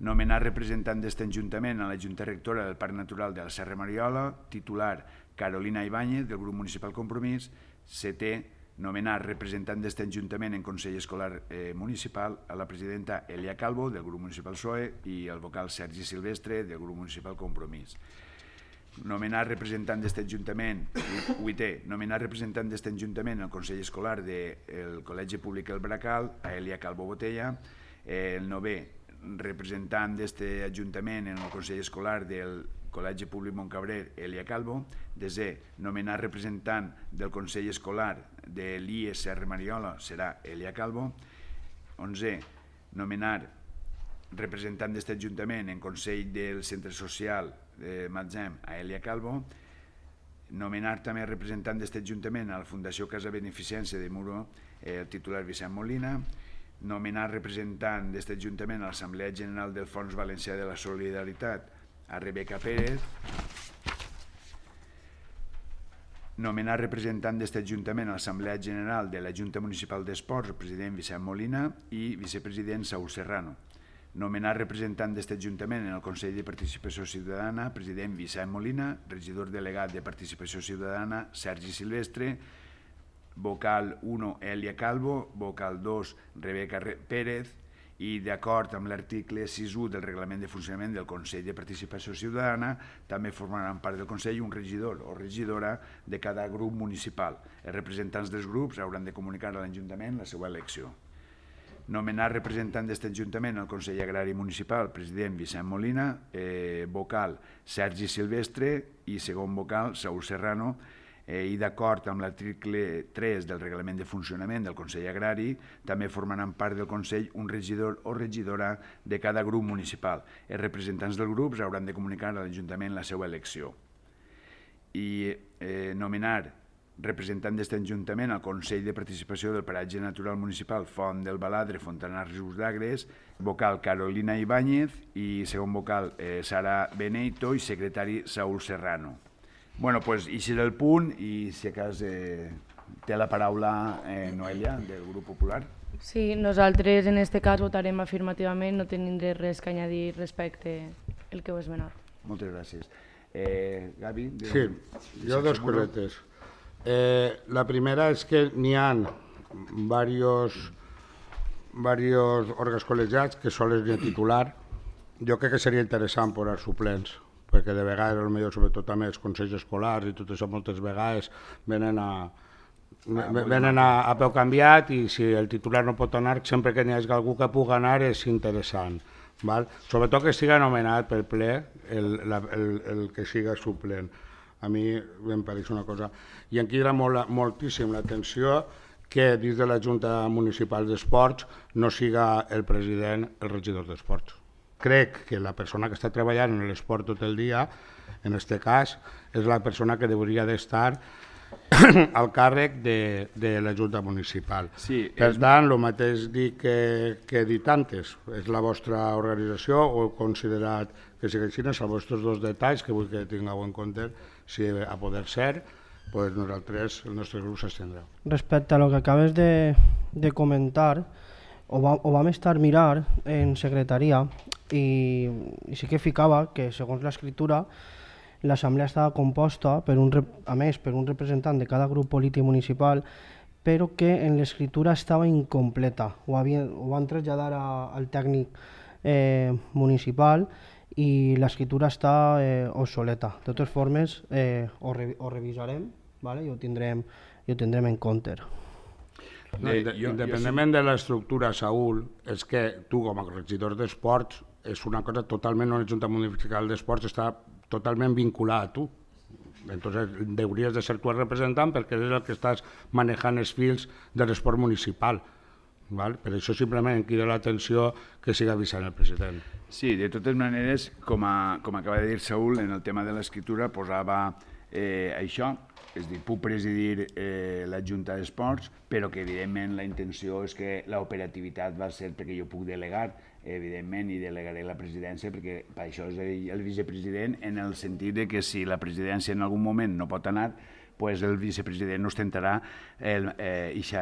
nomenar representant d'aquest Ajuntament a la Junta Rectora del Parc Natural de la Serra Mariola, titular Carolina Ibáñez, del grup municipal Compromís. Setè, nomenar representant d'aquest Ajuntament en Consell Escolar eh, Municipal a la presidenta Elia Calvo, del grup municipal P S O E, i el vocal Sergi Silvestre, del grup municipal Compromís. Nomenar representant d'aquest Ajuntament, vuitè, nomenar representant d'aquest Ajuntament al Consell Escolar del Col·legi Públic El Bracal, a Elia Calvo Botella. El novè, representant d'aquest Ajuntament en el Consell Escolar del Col·legi Públic Montcabrer, Elia Calvo. Desè, nomenar representant del Consell Escolar de l'I E Serra Mariola serà Elia Calvo. Onzè, nomenar representant d'aquest Ajuntament en Consell del Centre Social de Matzem a Elia Calvo. Nomenar també representant d'aquest Ajuntament a la Fundació Casa Beneficència de Muro, el titular Vicent Molina. Nomenar representant d'aquest Ajuntament a l'Assemblea General del Fons Valencià de la Solidaritat a Rebeca Pérez. Nomenar representant d'aquest Ajuntament a l'Assemblea General de la Junta Municipal d'Esports, el president Vicent Molina i vicepresident Saúl Serrano. Nomenar representant d'aquest Ajuntament en el Consell de Participació Ciutadana, president Vicent Molina, regidor delegat de Participació Ciutadana, Sergi Silvestre, vocal u, Elia Calvo, vocal dos, Rebeca Pérez, i d'acord amb l'article sis u del Reglament de Funcionament del Consell de Participació Ciutadana, també formaran part del Consell un regidor o regidora de cada grup municipal. Els representants dels grups hauran de comunicar a l'Ajuntament la seva elecció. Nomenar representant d'aquest Ajuntament al Consell Agrari Municipal, president Vicent Molina, eh, vocal Sergi Silvestre i segon vocal Saúl Serrano, eh, i d'acord amb l'article tres del Reglament de Funcionament del Consell Agrari, també formaran part del Consell un regidor o regidora de cada grup municipal. Els representants dels grups hauran de comunicar a l'Ajuntament la seva elecció. I eh, nomenar representant d'aquest Ajuntament al Consell de Participació del Paratge Natural Municipal Font del Baladre, Fontanars, Rius d'Agres, vocal Carolina Ibáñez i segon vocal eh, Sara Beneito i secretari Saúl Serrano. Bueno, doncs, i serà el punt, i si acas eh, té la paraula eh, Noelia, del Grup Popular. Sí, nosaltres en aquest cas votarem afirmativament, no tenim res que añadir respecte al que heu esmenat. Moltes gràcies. Eh, Gavi? Sí, jo dos cosetes. Eh, la primera és que n'hi ha diversos diversos òrgans col·legiats que solen de titular. Jo crec que seria interessant posar suplents, perquè de vegades, potser sobretot també els consells escolars i tot això moltes vegades venen a, venen a, a peu canviat, i si el titular no pot anar, sempre que n'hi hagi algú que pugui anar és interessant. Val? Sobretot que estigui anomenat pel ple el, la, el, el que siga suplent. A mi em pareix una cosa. I em crida molt, moltíssim l'atenció que dins de la Junta Municipal d'Esports no siga el president el regidor d'Esports. Crec que la persona que està treballant en l'esport tot el dia, en aquest cas, és la persona que hauria d'estar al càrrec de, de la Junta Municipal. Sí, per és... tant, el mateix dic que, que he dit antes, és la vostra organització, o heu considerat que siguin els vostres dos detalls que vull que tingueu en compte, si a poder ser, pues nosaltres, el nostre grup s'estendrà. Respecte a lo que acabes de, de comentar, ho, va, ho vam estar mirar en secretaria i, i sí que ficava que, segons l'escriptura, l'assemblea estava composta, per un, a més, per un representant de cada grup polític municipal, però que en l'escriptura estava incompleta. Ho, havia, ho van traslladar a, al tècnic eh, municipal i l'escriptura està eh, obsoleta. De totes formes, eh, ho, re, ho revisarem, vale? I ho tindrem, i ho tindrem en compte. No, independentment de l'estructura, Saúl, és que tu com a regidor d'esports és una cosa totalment, una Junta Municipal d'Esports està totalment vinculada a tu. Entonces, hauries de ser tu el representant perquè és el que estàs manejant els fils de l'esport municipal. Val? Per això simplement em crida l'atenció que siga avisant el president. Sí, de totes maneres, com, a, com acaba de dir Saúl, en el tema de l'escriptura posava eh, això, és a dir, puc presidir eh, la Junta d'Esports, però que evidentment la intenció és que l'operativitat va ser perquè jo puc delegar, evidentment, i delegaré la presidència, perquè per això és el vicepresident, en el sentit de que si la presidència en algun moment no pot anar, pues el vicepresident ostentarà aquest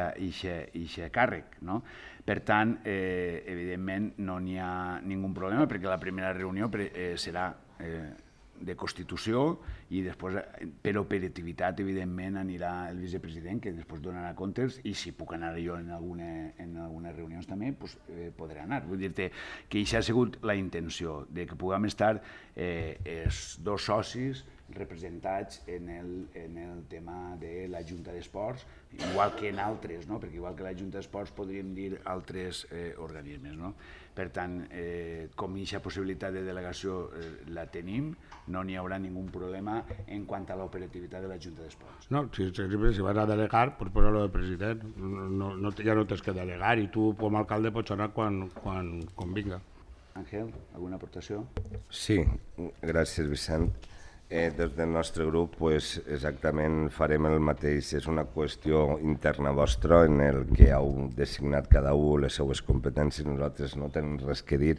càrrec. No? Per tant, eh, evidentment, no n'hi ha ningú problema, perquè la primera reunió eh, serà eh, de Constitució i després, per operativitat, evidentment, anirà el vicepresident, que després donarà comptes, i si puc anar jo en, alguna, en algunes reunions també, pues, eh, podré anar. Vull dir-te que això ha sigut la intenció, de que puguem estar eh, els dos socis representats en el, en el tema de la Junta d'Esports, igual que en altres, no? Perquè igual que la Junta d'Esports podríem dir altres eh, organismes. No? Per tant, eh, com aquesta possibilitat de delegació eh, la tenim, no n'hi haurà ningú problema en quant a l'operativitat de la Junta d'Esports. No, si, si vas a delegar, pues posar-lo de president, no, no, ja no tens que delegar i tu com a alcalde pots anar quan, quan convinga. Àngel, alguna aportació? Sí, gràcies Vicent. Eh, des del nostre grup pues, exactament farem el mateix, és una qüestió interna vostra en el que heu designat cada un les seues competències, nosaltres no tenim res que dir,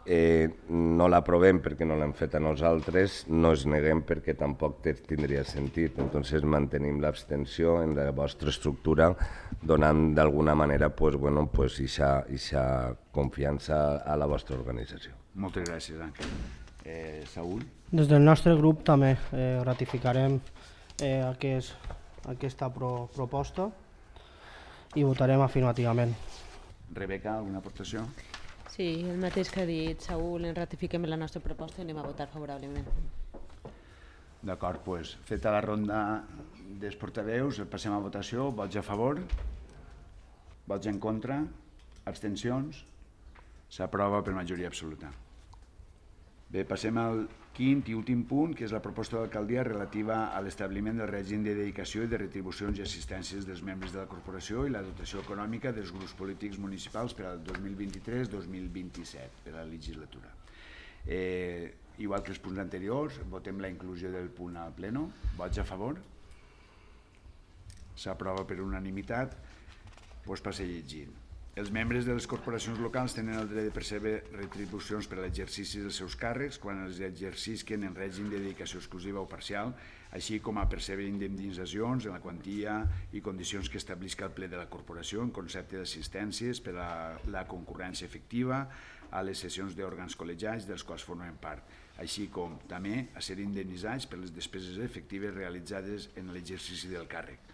eh, no l'aprovem perquè no l'hem fet a nosaltres, no es neguem perquè tampoc tindria sentit, entonces mantenim l'abstenció en la vostra estructura, donant d'alguna manera pues, bueno, pues, ixa, ixa confiança a la vostra organització. Moltes gràcies, Àngel. Eh, Saúl? Des del nostre grup també eh, ratificarem eh, aquest, aquesta pro, proposta i votarem afirmativament. Rebeca, alguna aportació? Sí, el mateix que ha dit Saúl, en ratifiquem la nostra proposta i anem a votar favorablement. D'acord, doncs, feta la ronda dels portaveus, passem a votació. Vots a favor? Vots en contra? Abstencions? S'aprova per majoria absoluta. Bé, passem al quint i últim punt, que és la proposta d'alcaldia relativa a l'establiment del règim de dedicació i de retribucions i assistències dels membres de la corporació i la dotació econòmica dels grups polítics municipals per al dos mil vint-i-tres dos mil vint-i-set, per a la legislatura. Eh, igual que els punts anteriors, votem la inclusió del punt al pleno. Vots a favor? S'aprova per unanimitat. Doncs passa llegint. Els membres de les corporacions locals tenen el dret de percebre retribucions per a l'exercici dels seus càrrecs quan els exercisquen en règim de dedicació exclusiva o parcial, així com a percebre indemnitzacions en la quantia i condicions que establisca el ple de la corporació en concepte d'assistències per a la concurrència efectiva a les sessions d'òrgans col·legiats dels quals formen part, així com també a ser indemnitzats per les despeses efectives realitzades en l'exercici del càrrec.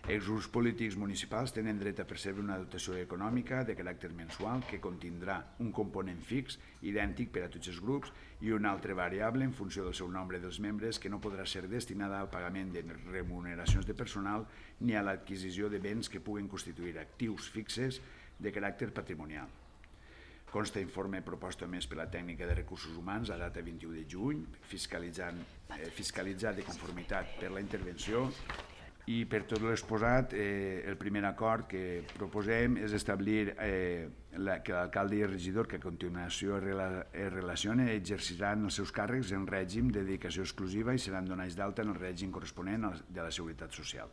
Els grups polítics municipals tenen dret a percebre una dotació econòmica de caràcter mensual que contindrà un component fix idèntic per a tots els grups i una altra variable en funció del seu nombre dels membres que no podrà ser destinada al pagament de remuneracions de personal ni a l'adquisició de béns que puguen constituir actius fixes de caràcter patrimonial. Consta informe proposta més per la tècnica de recursos humans a data vint-i-u de juny, fiscalitzant, eh, fiscalitzat de conformitat per la intervenció. I per tot l'exposat, eh, el primer acord que proposem és establir eh, la, que l'alcalde i el regidor que a continuació es, rela, es relacionen exerciran els seus càrrecs en règim de dedicació exclusiva i seran donats d'alta en el règim corresponent de la Seguretat Social.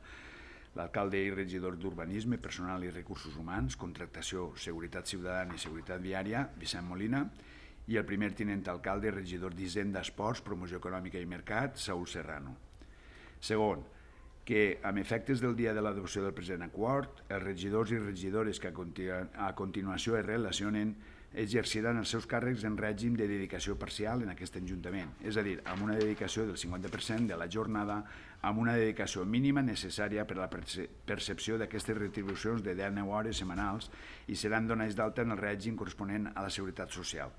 L'alcalde i regidor d'Urbanisme, Personal i Recursos Humans, Contractació, Seguretat Ciutadana i Seguretat Viària, Vicent Molina, i el primer tinent alcalde i regidor d'Hisenda, Esports, Promoció Econòmica i Mercat, Saúl Serrano. Segon, que amb efectes del dia de l'adopció del present acord, els regidors i regidores que a, continu a continuació es relacionen exerciran els seus càrrecs en règim de dedicació parcial en aquest ajuntament, és a dir, amb una dedicació del cinquanta per cent de la jornada, amb una dedicació mínima necessària per a la perce percepció d'aquestes retribucions de deu hores setmanals i seran donats d'alta en el règim corresponent a la Seguretat Social.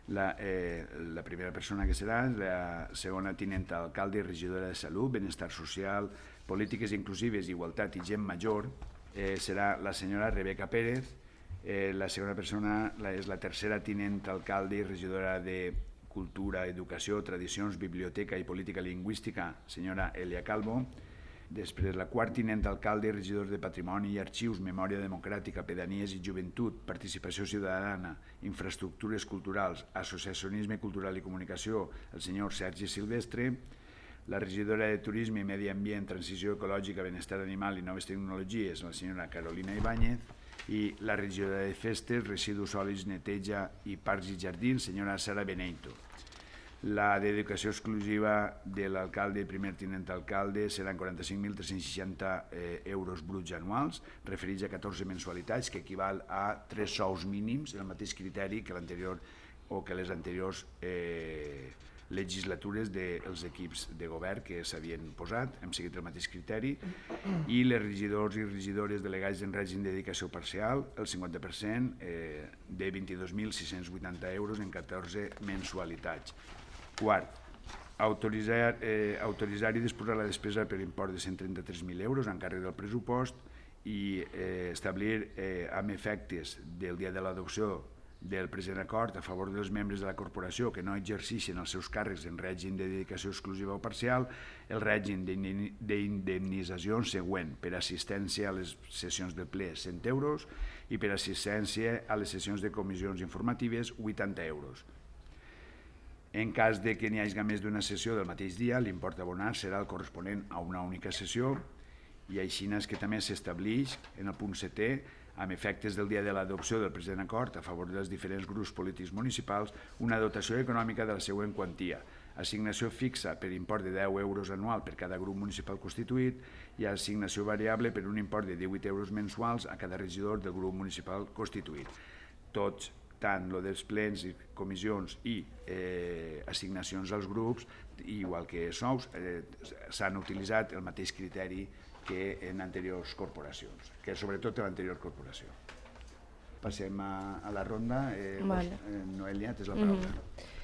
La, eh, la primera persona que serà la segona tinenta alcalde i regidora de Salut, Benestar Social, Polítiques Inclusives, Igualtat i Gent Major, eh, serà la senyora Rebeca Pérez. Eh, la segona persona la, és la tercera tinenta alcalde i regidora de Cultura, Educació, Tradicions, Biblioteca i Política Lingüística, senyora Elia Calvo. Després, la quart tinent alcalde i regidor de Patrimoni i Arxius, Memòria Democràtica, Pedanies i Joventut, Participació Ciutadana, Infraestructures Culturals, Associacionisme Cultural i Comunicació, el senyor Sergi Silvestre. La regidora de Turisme, Medi Ambient, Transició Ecològica, Benestar Animal i Noves Tecnologies, la senyora Carolina Ibáñez. I la regidora de Festes, Residus Sòlids, Neteja i Parcs i Jardins, senyora Sara Beneito. La dedicació exclusiva de l'alcalde i primer tinent alcalde seran quaranta-cinc mil tres-cents seixanta eh, euros bruts anuals, referits a catorze mensualitats, que equival a tres sous mínims, el mateix criteri que l'anterior o que les anteriors eh, legislatures dels equips de govern que s'havien posat, hem seguit el mateix criteri, i les regidors i regidores delegats en règim de dedicació parcial, el cinquanta per cent eh, de vint-i-dos mil sis-cents vuitanta euros en catorze mensualitats. Quart, autoritzar, eh, autoritzar i disposar la despesa per import de cent trenta-tres mil euros en càrrec del pressupost i eh, establir eh, amb efectes del dia de l'adopció del present acord a favor dels membres de la corporació que no exerceixen els seus càrrecs en règim de dedicació exclusiva o parcial el règim d'indemnització següent: per assistència a les sessions del ple cent euros i per assistència a les sessions de comissions informatives vuitanta euros. En cas de que n'hi hagi més d'una sessió del mateix dia, l'import abonat serà el corresponent a una única sessió i així és que també s'estableix en el punt setè, amb efectes del dia de l'adopció del present acord a favor dels diferents grups polítics municipals, una dotació econòmica de la següent quantia: assignació fixa per import de deu euros anual per cada grup municipal constituït i assignació variable per un import de divuit euros mensuals a cada regidor del grup municipal constituït. Tots, tant lo dels plens i comissions i eh, assignacions als grups, igual que sous, eh, s'han utilitzat el mateix criteri que en anteriors corporacions, que sobretot en l'anterior corporació. passem a, a la ronda. Eh, Vale. eh, Noelia, tens la paraula. Mm-hmm.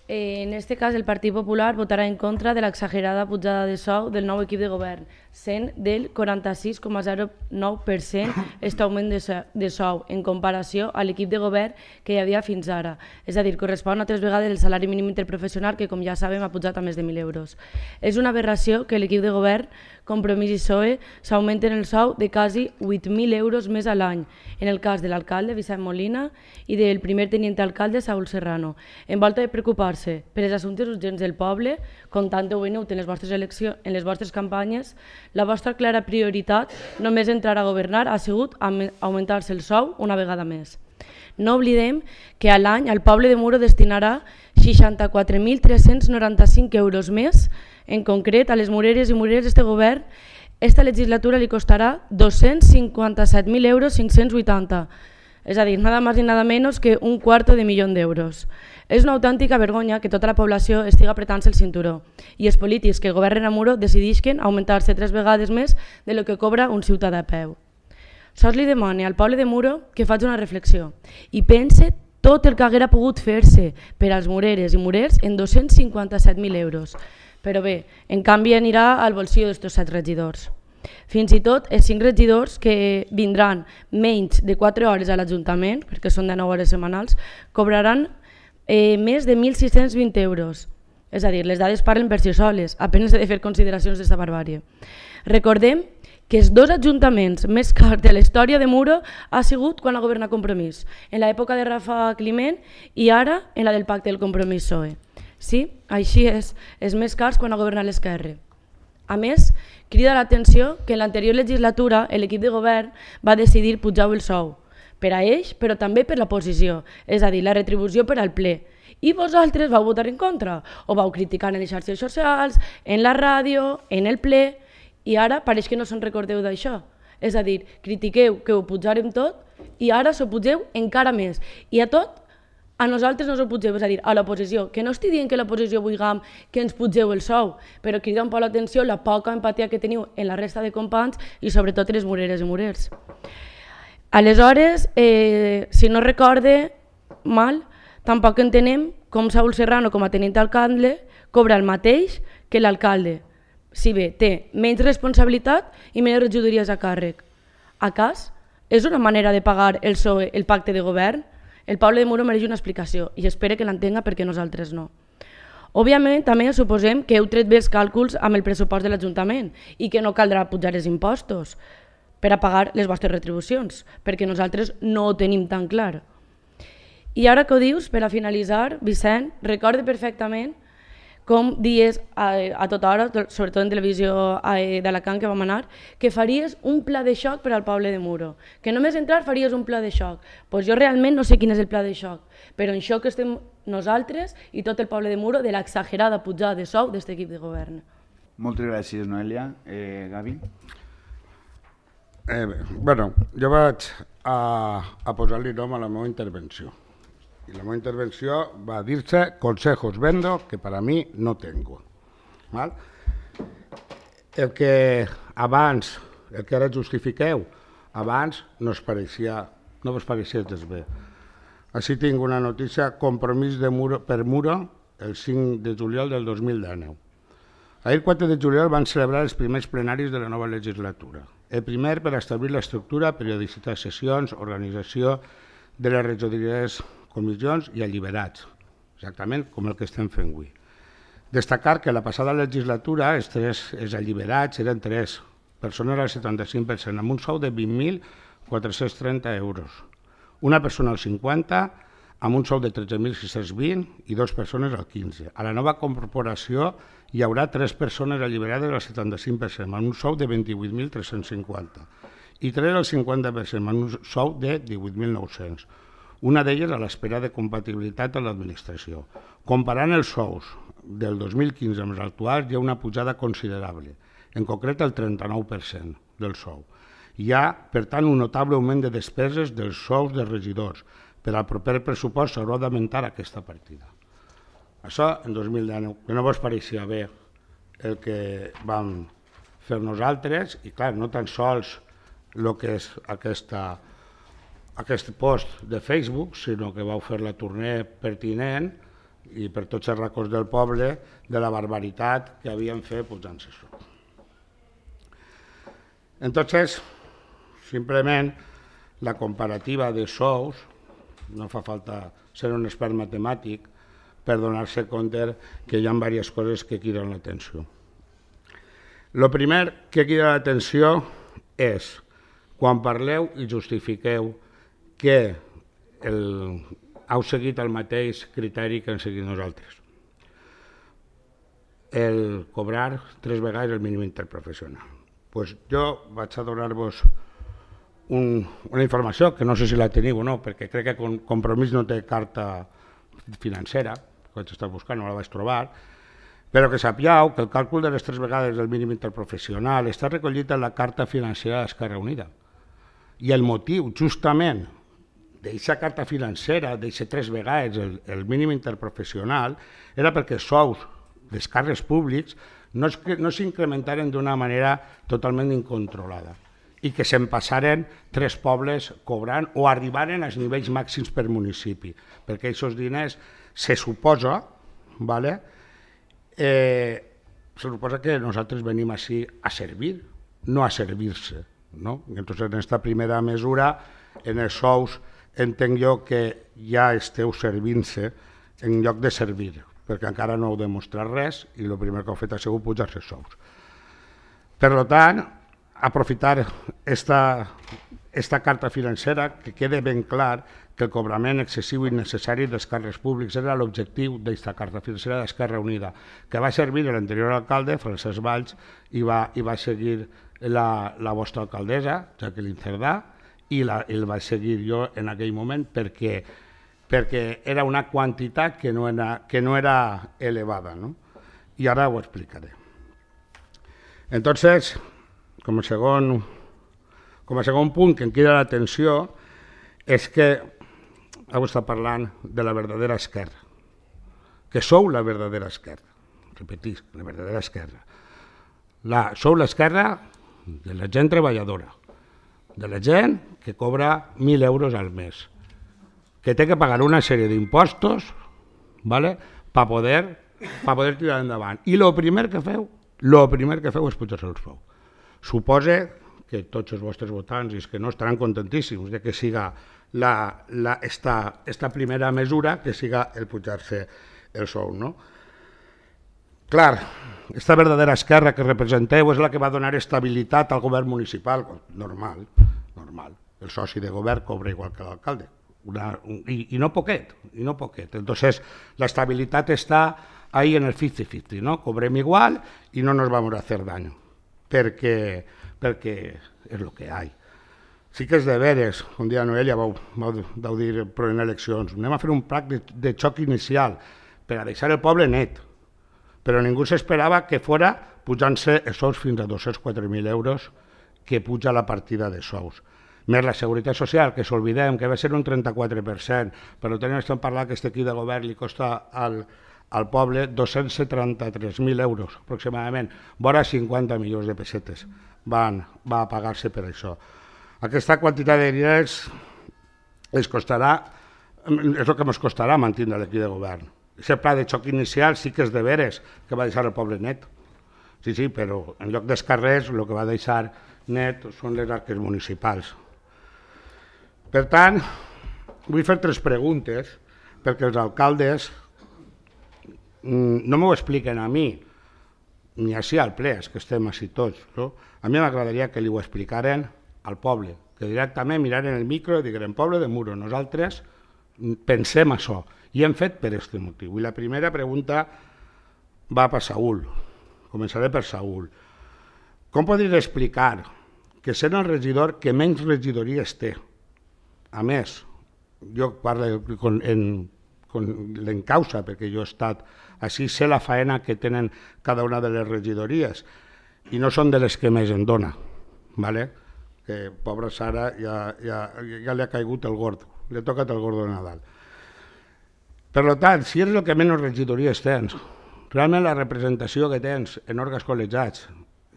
Eh, en este cas, el Partit Popular votarà en contra de l'exagerada pujada de sou del nou equip de govern, sent del quaranta-sis coma zero nou per cent aquest augment de, so de sou en comparació a l'equip de govern que hi havia fins ara. És a dir, correspon a tres vegades el salari mínim interprofessional, que com ja sabem ha pujat a més de mil euros. És una aberració que l'equip de govern, Compromís i P S O E, s'augmenten el sou de quasi vuit mil euros més a l'any, en el cas de l'alcalde Vicent Molina i del primer tenient alcalde Saúl Serrano. En volta de preocupar-se per els assumptes urgents del poble, com tant heu venut en les vostres eleccions, en les vostres campanyes, la vostra clara prioritat, només entrar a governar, ha sigut augmentar-se el sou una vegada més. No oblidem que a l'any el poble de Muro destinarà seixanta-quatre mil tres-cents noranta-cinc euros més. En concret, a les mureres i murers d'este govern, esta legislatura li costarà dos-cents cinquanta-set mil euros cinc-cents vuitanta. És a dir, nada más ni nada menos que un cuarto de milió d'euros. És una autèntica vergonya que tota la població estigui apretant-se el cinturó i els polítics que governen a Muro decidisquen augmentar-se tres vegades més de lo que cobra un ciutadà a peu. Sols li demane al poble de Muro que faci una reflexió i pense tot el que haguera pogut fer-se per als mureres i murers en dos-cents cinquanta-set mil euros. Però bé, en canvi anirà al bolsillo d'estos set regidors. Fins i tot els cinc regidors que vindran menys de quatre hores a l'Ajuntament, perquè són de nou hores setmanals, cobraran eh, més de mil sis-cents vint euros. És a dir, les dades parlen per si soles, apenas he de fer consideracions d'esta barbàrie. Recordem que els dos ajuntaments més cars de la història de Muro ha sigut quan ha governat Compromís, en l'època de Rafa Climent i ara en la del pacte del Compromís P S O E. Sí, així és, els més cars quan ha governat l'Esquerra. A més, crida l'atenció que en l'anterior legislatura l'equip de govern va decidir pujar el sou, per a ells però també per l'oposició, és a dir, la retribució per al ple. I vosaltres vau votar en contra, o vau criticar en les xarxes socials, en la ràdio, en el ple, i ara pareix que no se'n recordeu d'això. És a dir, critiqueu que ho pujarem tot i ara s'ho pugeu encara més. I a tot, a nosaltres no s'ho pugeu, és a dir, a l'oposició. Que no estic dient que l'oposició vulguem que ens pugeu el sou, però crida un poc l'atenció la poca empatia que teniu en la resta de companys i sobretot les mureres i murers. Aleshores, eh, si no recorde mal, tampoc entenem com Saúl Serrano, com a tenint alcalde, cobra el mateix que l'alcalde. Si bé té menys responsabilitat i menys regidories a càrrec. A cas, és una manera de pagar el P S O E el pacte de govern? El poble de Muro mereix una explicació i espero que l'entenga perquè nosaltres no. Òbviament, també suposem que heu tret bé els càlculs amb el pressupost de l'Ajuntament i que no caldrà pujar els impostos per a pagar les vostres retribucions, perquè nosaltres no ho tenim tan clar. I ara que ho dius, per a finalitzar, Vicent, recorde perfectament com dies a, a tota hora, sobretot en televisió d'Alacant que vam anar, que faries un pla de xoc per al poble de Muro. Que només entrar faries un pla de xoc. Doncs jo realment no sé quin és el pla de xoc, però en xoc estem nosaltres i tot el poble de Muro de l'exagerada pujada de sou d'aquest equip de govern. Moltes gràcies, Noelia. Eh, Gavi? Eh, bueno, jo vaig a, a posar-li nom a la meva intervenció. Y la meva intervenció va dir-se consejos vendo que para mí no tengo. ¿Val? El que abans, el que ara justifiqueu, abans no us pareixia, no vos pareixia gens bé. Així tinc una notícia, compromís de Muro, per Muro el cinc de juliol del dos mil dinou. Ahir, quatre de juliol, van celebrar els primers plenaris de la nova legislatura. El primer per establir l'estructura, periodicitat, sessions, organització de les regidories, comissions i alliberats, exactament com el que estem fent avui. Destacar que la passada legislatura els, tres, els alliberats eren tres persones al setanta-cinc per cent, amb un sou de vint mil quatre-cents trenta euros. Una persona al cinquanta per cent, amb un sou de tretze mil sis-cents vint i dues persones al quinze per cent. A la nova corporació hi haurà tres persones alliberades al setanta-cinc per cent, amb un sou de vint-i-vuit mil tres-cents cinquanta i tres al cinquanta per cent, amb un sou de divuit mil nou-cents. Una d'elles a l'espera de compatibilitat amb l'administració. Comparant els sous del dos mil quinze amb els actuals, hi ha una pujada considerable, en concret el trenta-nou per cent del sou. Hi ha, per tant, un notable augment de despeses dels sous dels regidors. Per al proper pressupost s'haurà d'augmentar aquesta partida. Això en dos mil dinou, que no vos pareixia bé el que vam fer nosaltres, i clar, no tan sols el que és aquesta aquest post de Facebook, sinó que vau fer la tournée pertinent i per tots els racons del poble de la barbaritat que havien fet pujant-se això. Entonces, simplement, la comparativa de sous, no fa falta ser un expert matemàtic per donar-se compte que hi ha diverses coses que criden l'atenció. El primer que crida l'atenció és quan parleu i justifiqueu que el, heu seguit el mateix criteri que hem seguit nosaltres. El cobrar tres vegades el mínim interprofessional. Pues jo vaig a donar-vos un, una informació que no sé si la teniu o no, perquè crec que Compromís no té carta financera, que vaig estar buscant, no la vaig trobar, però que sapigueu que el càlcul de les tres vegades del mínim interprofessional està recollit en la carta financera d'Esquerra Unida. I el motiu, justament, d'aquesta carta financera, d'aquestes tres vegades el, el mínim interprofessional, era perquè sous dels càrrecs públics no, es, no s'incrementaren d'una manera totalment incontrolada i que se'n passaren tres pobles cobrant o arribaren als nivells màxims per municipi, perquè aquests diners se suposa, ¿vale? eh, se suposa que nosaltres venim així a servir, no a servir-se, ¿no? Entonces, en esta primera mesura, en els sous, entenc jo que ja esteu servint-se en lloc de servir, perquè encara no heu demostrat res i el primer que heu fet ha sigut pujar-se els sous. Per tant, aprofitar esta, esta carta financera, que quede ben clar que el cobrament excessiu i innecessari dels càrrecs públics era l'objectiu d'aquesta carta financera d'Esquerra Unida, que va servir a l'anterior alcalde, Francesc Valls, i va, i va seguir la, la vostra alcaldessa, Jacqueline Cerdà, i, la, i el vaig seguir jo en aquell moment perquè, perquè era una quantitat que no era, que no era elevada, ¿no? I ara ho explicaré. Entonces, com a segon, com a segon punt que em crida l'atenció és que heu estat parlant de la verdadera esquerra, que sou la verdadera esquerra, repetisc, la verdadera esquerra. La, sou l'esquerra de la gent treballadora, de la gent que cobra mil euros al mes, que té que pagar una sèrie d'impostos, ¿vale? per poder, pa poder tirar endavant. I el primer que feu, el primer que feu és pujar-se el sou. Suposa que tots els vostres votants i els que no estaran contentíssims de que siga la, la, esta, esta primera mesura, que siga el pujar-se el sou, no? Clar, esta verdadera esquerra que representeu és la que va donar estabilitat al govern municipal, normal, normal. El soci de govern cobra igual que l'alcalde, i, i no poquet, i no poquet. Entonces, la estabilitat està ahí en el cincuenta cincuenta, ¿no? Cobrem igual y no nos vamos a hacer daño, perquè, perquè és el que hi ha. Sí que és de veres, un dia Noelia vau, vau, vau dir però en eleccions, anem a fer un pla de, de xoc inicial per a deixar el poble net, però ningú s'esperava que fora pujant-se els sous fins a dos-cents quatre mil euros que puja la partida de sous. Més la seguretat social, que s'olvidem, que va ser un trenta-quatre per cent, però tenim estem parlant que aquest equip de govern li costa al, al poble dos-cents setanta-tres mil euros aproximadament, vora cinquanta milions de pessetes van, va pagar-se per això. Aquesta quantitat de diners es costarà, és el que ens costarà mantenir l'equip de govern. Aquest pla de xoc inicial sí que és de veres que va deixar el poble net, sí, sí, però en lloc dels carrers el que va deixar net són les arques municipals. Per tant, vull fer tres preguntes perquè els alcaldes no m'ho expliquen a mi, ni així al ple, és que estem així tots. No? A mi m'agradaria que li ho explicaren al poble, que directament miraren el micro i digueren poble de Muro, nosaltres pensem això, i hem fet per aquest motiu. I la primera pregunta va per Saúl, començaré per Saúl. Com podries explicar que sent el regidor que menys regidories té? A més, jo parlo en, en l'encausa, perquè jo he estat així, sé la faena que tenen cada una de les regidories i no són de les que més en dona, ¿vale? Que pobra Sara ja, ja, ja li ha caigut el gordo, li ha tocat el gordo de Nadal. Per tant, si és el que menys regidories tens, realment la representació que tens en òrgans col·legiats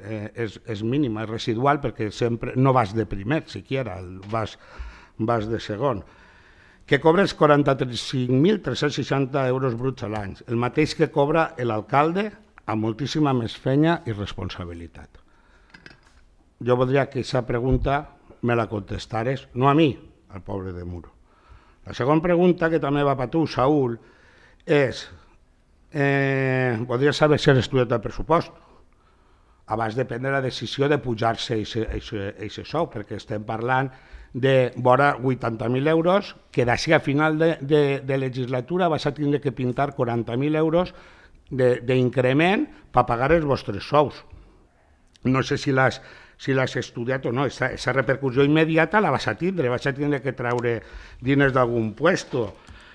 eh, és, és mínima, és residual, perquè sempre no vas de primer, siquiera, vas, vas de segon, que cobres quaranta-cinc mil tres-cents seixanta euros bruts a l'any, el mateix que cobra l'alcalde amb moltíssima més feina i responsabilitat. Jo voldria que aquesta pregunta me la contestares, no a mi, al poble de Muro. La segona pregunta, que també va per tu, Saúl, és, eh, voldria saber si has estudiat el pressupost abans de prendre la decisió de pujar-se aquest sou, perquè estem parlant de vora vuitanta mil euros, que d'ací a final de, de, de legislatura vas a tindre que pintar quaranta mil euros d'increment per pagar els vostres sous. No sé si l'has si l'has estudiat o no, aquesta repercussió immediata la vas a tindre, vas a tindre que treure diners d'algun puesto.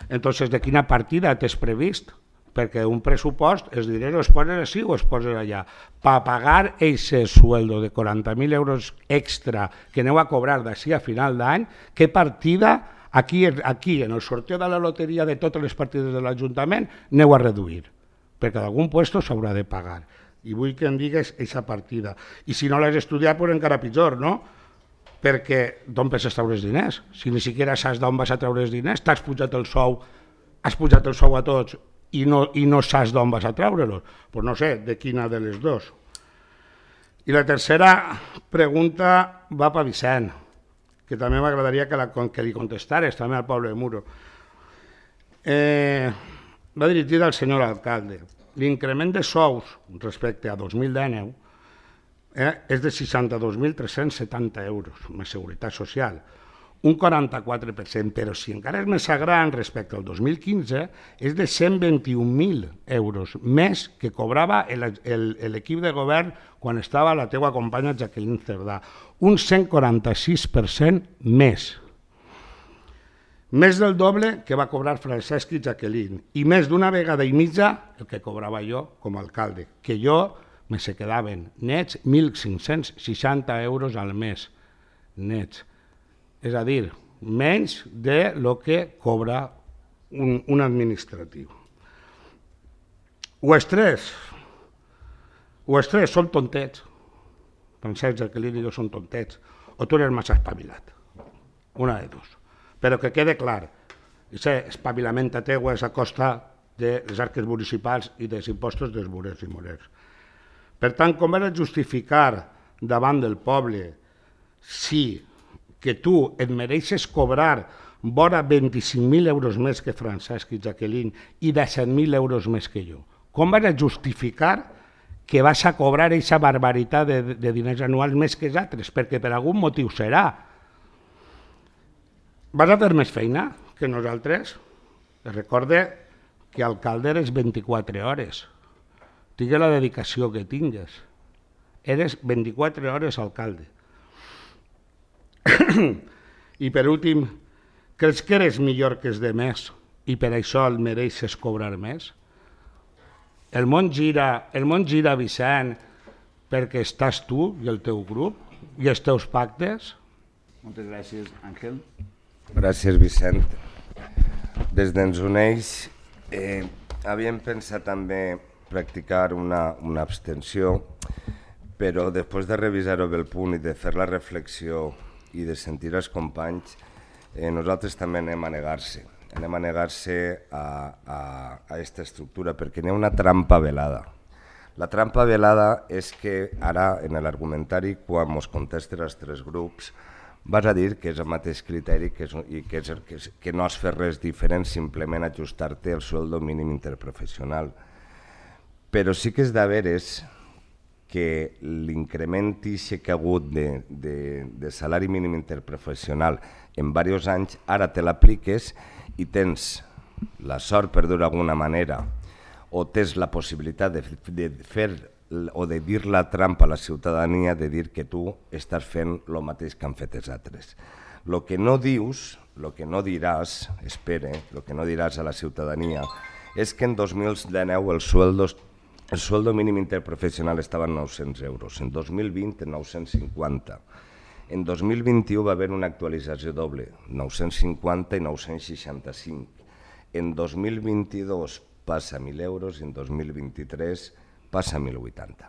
Entonces, de quina partida t'has previst? Perquè un pressupost, els diners es posen així o es posen allà. Per pagar aquest sueldo de quaranta mil euros extra que aneu a cobrar d'ací a final d'any, què partida, aquí, aquí en el sorteo de la loteria de totes les partides de l'Ajuntament, aneu a reduir? Perquè d'algun puesto s'haurà de pagar. I vull que em digues aquesta partida. I si no l'has estudiat, pues encara pitjor, no? Perquè d'on penses treure els diners? Si ni siquiera saps d'on vas a treure els diners, t'has pujat el sou, has pujat el sou a tots i no, i no saps d'on vas a treure-los. Pues no sé, de quina de les dues. I la tercera pregunta va per Vicent, que també m'agradaria que, la, que li contestares també al poble de Muro. Eh, va dirigida al senyor alcalde. L'increment de sous respecte a dos mil dinou eh, és de seixanta-dos mil tres-cents setanta euros, més seguretat social, un quaranta-quatre per cent, però si encara és més gran respecte al dos mil quinze, és de cent vint-i-un mil euros, més que cobrava l'equip de govern quan estava la teua companya Jacqueline Cerdà, un cent quaranta-sis per cent més. Més del doble que va cobrar Francesc i Jacqueline, i més d'una vegada i mitja el que cobrava jo com a alcalde, que jo me se quedaven nets mil cinc-cents seixanta euros al mes, nets. És a dir, menys de lo que cobra un, un administratiu. O els tres, o els tres són tontets, Francesc, Jacqueline i jo són tontets, o tu eres massa espavilat, una de dos. Però que quede clar, aquest espavilament teu és a costa de les arques municipals i dels impostos dels burers i morers. Per tant, com has de justificar davant del poble si que tu et mereixes cobrar vora vint-i-cinc mil euros més que Francesc i Jacqueline i disset mil euros més que jo? Com vas a justificar que vas a cobrar aquesta barbaritat de, de diners anuals més que els altres? Perquè per algun motiu serà. Vas a fer més feina que nosaltres? Recorde que alcalde eres vint-i-quatre hores. Tingue la dedicació que tingues. Eres vint-i-quatre hores alcalde. I per últim, creus que eres millor que els demés i per això el mereixes cobrar més? El món gira, el món gira, Vicent, perquè estàs tu i el teu grup i els teus pactes? Moltes gràcies, Àngel. Gràcies, Vicent. Des d'Ens Uneix eh, havíem pensat també practicar una, una abstenció, però després de revisar-ho bé el punt i de fer la reflexió i de sentir els companys, eh, nosaltres també anem a negar-se. Anem a negar-se a, a, a aquesta estructura perquè n'hi ha una trampa velada. La trampa velada és que ara, en l'argumentari, quan ens contesten els tres grups, vas a dir que és el mateix criteri que és, i que, és, que, és, que no has fet res diferent, simplement ajustar-te al sueldo mínim interprofessional. Però sí que és de veres que l'increment que ha hagut de, de, de salari mínim interprofessional en diversos anys, ara te l'apliques i tens la sort, per dir-ho d'alguna manera, o tens la possibilitat de, de fer o de dir la trampa a la ciutadania de dir que tu estàs fent el mateix que han fet els altres. El que no dius, el que no diràs, espere, el que no diràs a la ciutadania és que en dos mil dinou el sueldo, el sueldo mínim interprofessional estava en nou-cents euros, en dos mil vint en nou-cents cinquanta. En dos mil vint-i-u va haver una actualització doble, nou-cents cinquanta i nou-cents seixanta-cinc. En dos mil vint-i-dos passa a mil euros i en dos mil vint-i-tres passa a mil vuitanta.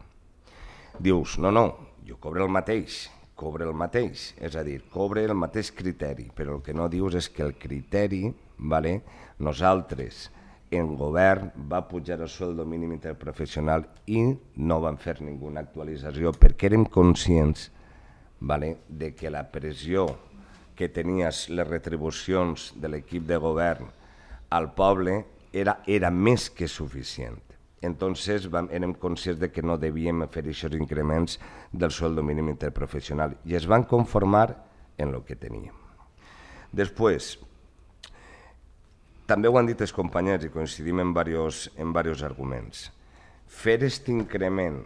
Dius, no, no, jo cobro el mateix cobra el mateix, és a dir, cobra el mateix criteri, però el que no dius és que el criteri, vale, nosaltres, en govern, va pujar el sueldo mínim interprofessional i no van fer ninguna actualització perquè érem conscients, vale, de que la pressió que tenies les retribucions de l'equip de govern al poble era, era més que suficient. Entonces vam, érem conscients de que no devíem fer aquests increments del sueldo mínim interprofessional i es van conformar en el que teníem. Després, també ho han dit els companys i coincidim en diversos, en diversos arguments. Fer aquest increment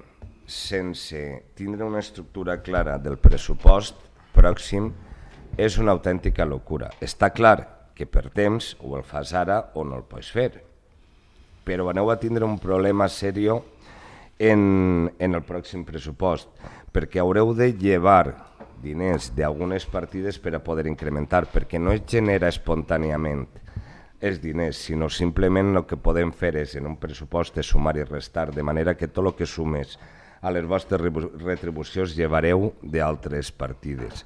sense tindre una estructura clara del pressupost pròxim és una autèntica locura. Està clar que per temps o el fas ara o no el pots fer, però aneu a tindre un problema seriós en, en el pròxim pressupost, perquè haureu de llevar diners d'algunes partides per a poder incrementar, perquè no es genera espontàniament els diners, sinó simplement el que podem fer és en un pressupost és sumar i restar, de manera que tot el que sumes a les vostres retribucions llevareu d'altres partides.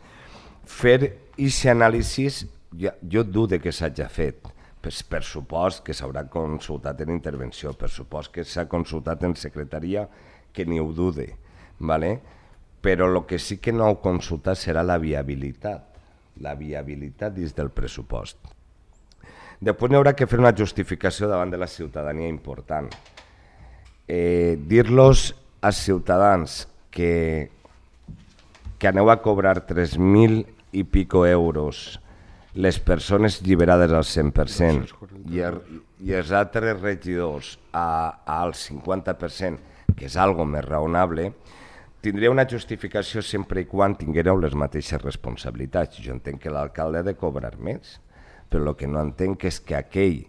Fer aquest anàlisi, jo dudo que s'hagi fet, per supost que s'haurà consultat en intervenció, per supost que s'ha consultat en secretaria, que ni ho dude, però el que sí que no heu consultat serà la viabilitat, la viabilitat dins del pressupost. Després n'hi haurà que fer una justificació davant de la ciutadania important. Dir-los als ciutadans que aneu a cobrar tres mil i pico euros les persones lliberades al cent per cent i els altres regidors al cinquanta per cent, que és algo més raonable, tindria una justificació sempre i quan tinguéreu les mateixes responsabilitats. Jo entenc que l'alcalde ha de cobrar més, però el que no entenc és que aquell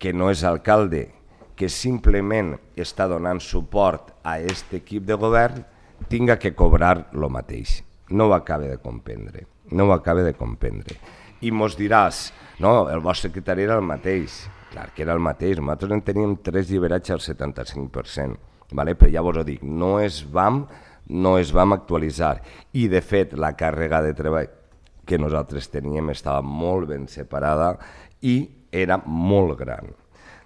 que no és alcalde, que simplement està donant suport a aquest equip de govern, tinga que cobrar el mateix. No ho acaba de comprendre, no ho acaba de comprendre. I mos diràs, no, el vostre criteri era el mateix. Clar que era el mateix, nosaltres en teníem tres lliberats al setanta-cinc per cent, però ja vos ho dic, no es vam, no es vam actualitzar. I de fet la càrrega de treball que nosaltres teníem estava molt ben separada i era molt gran.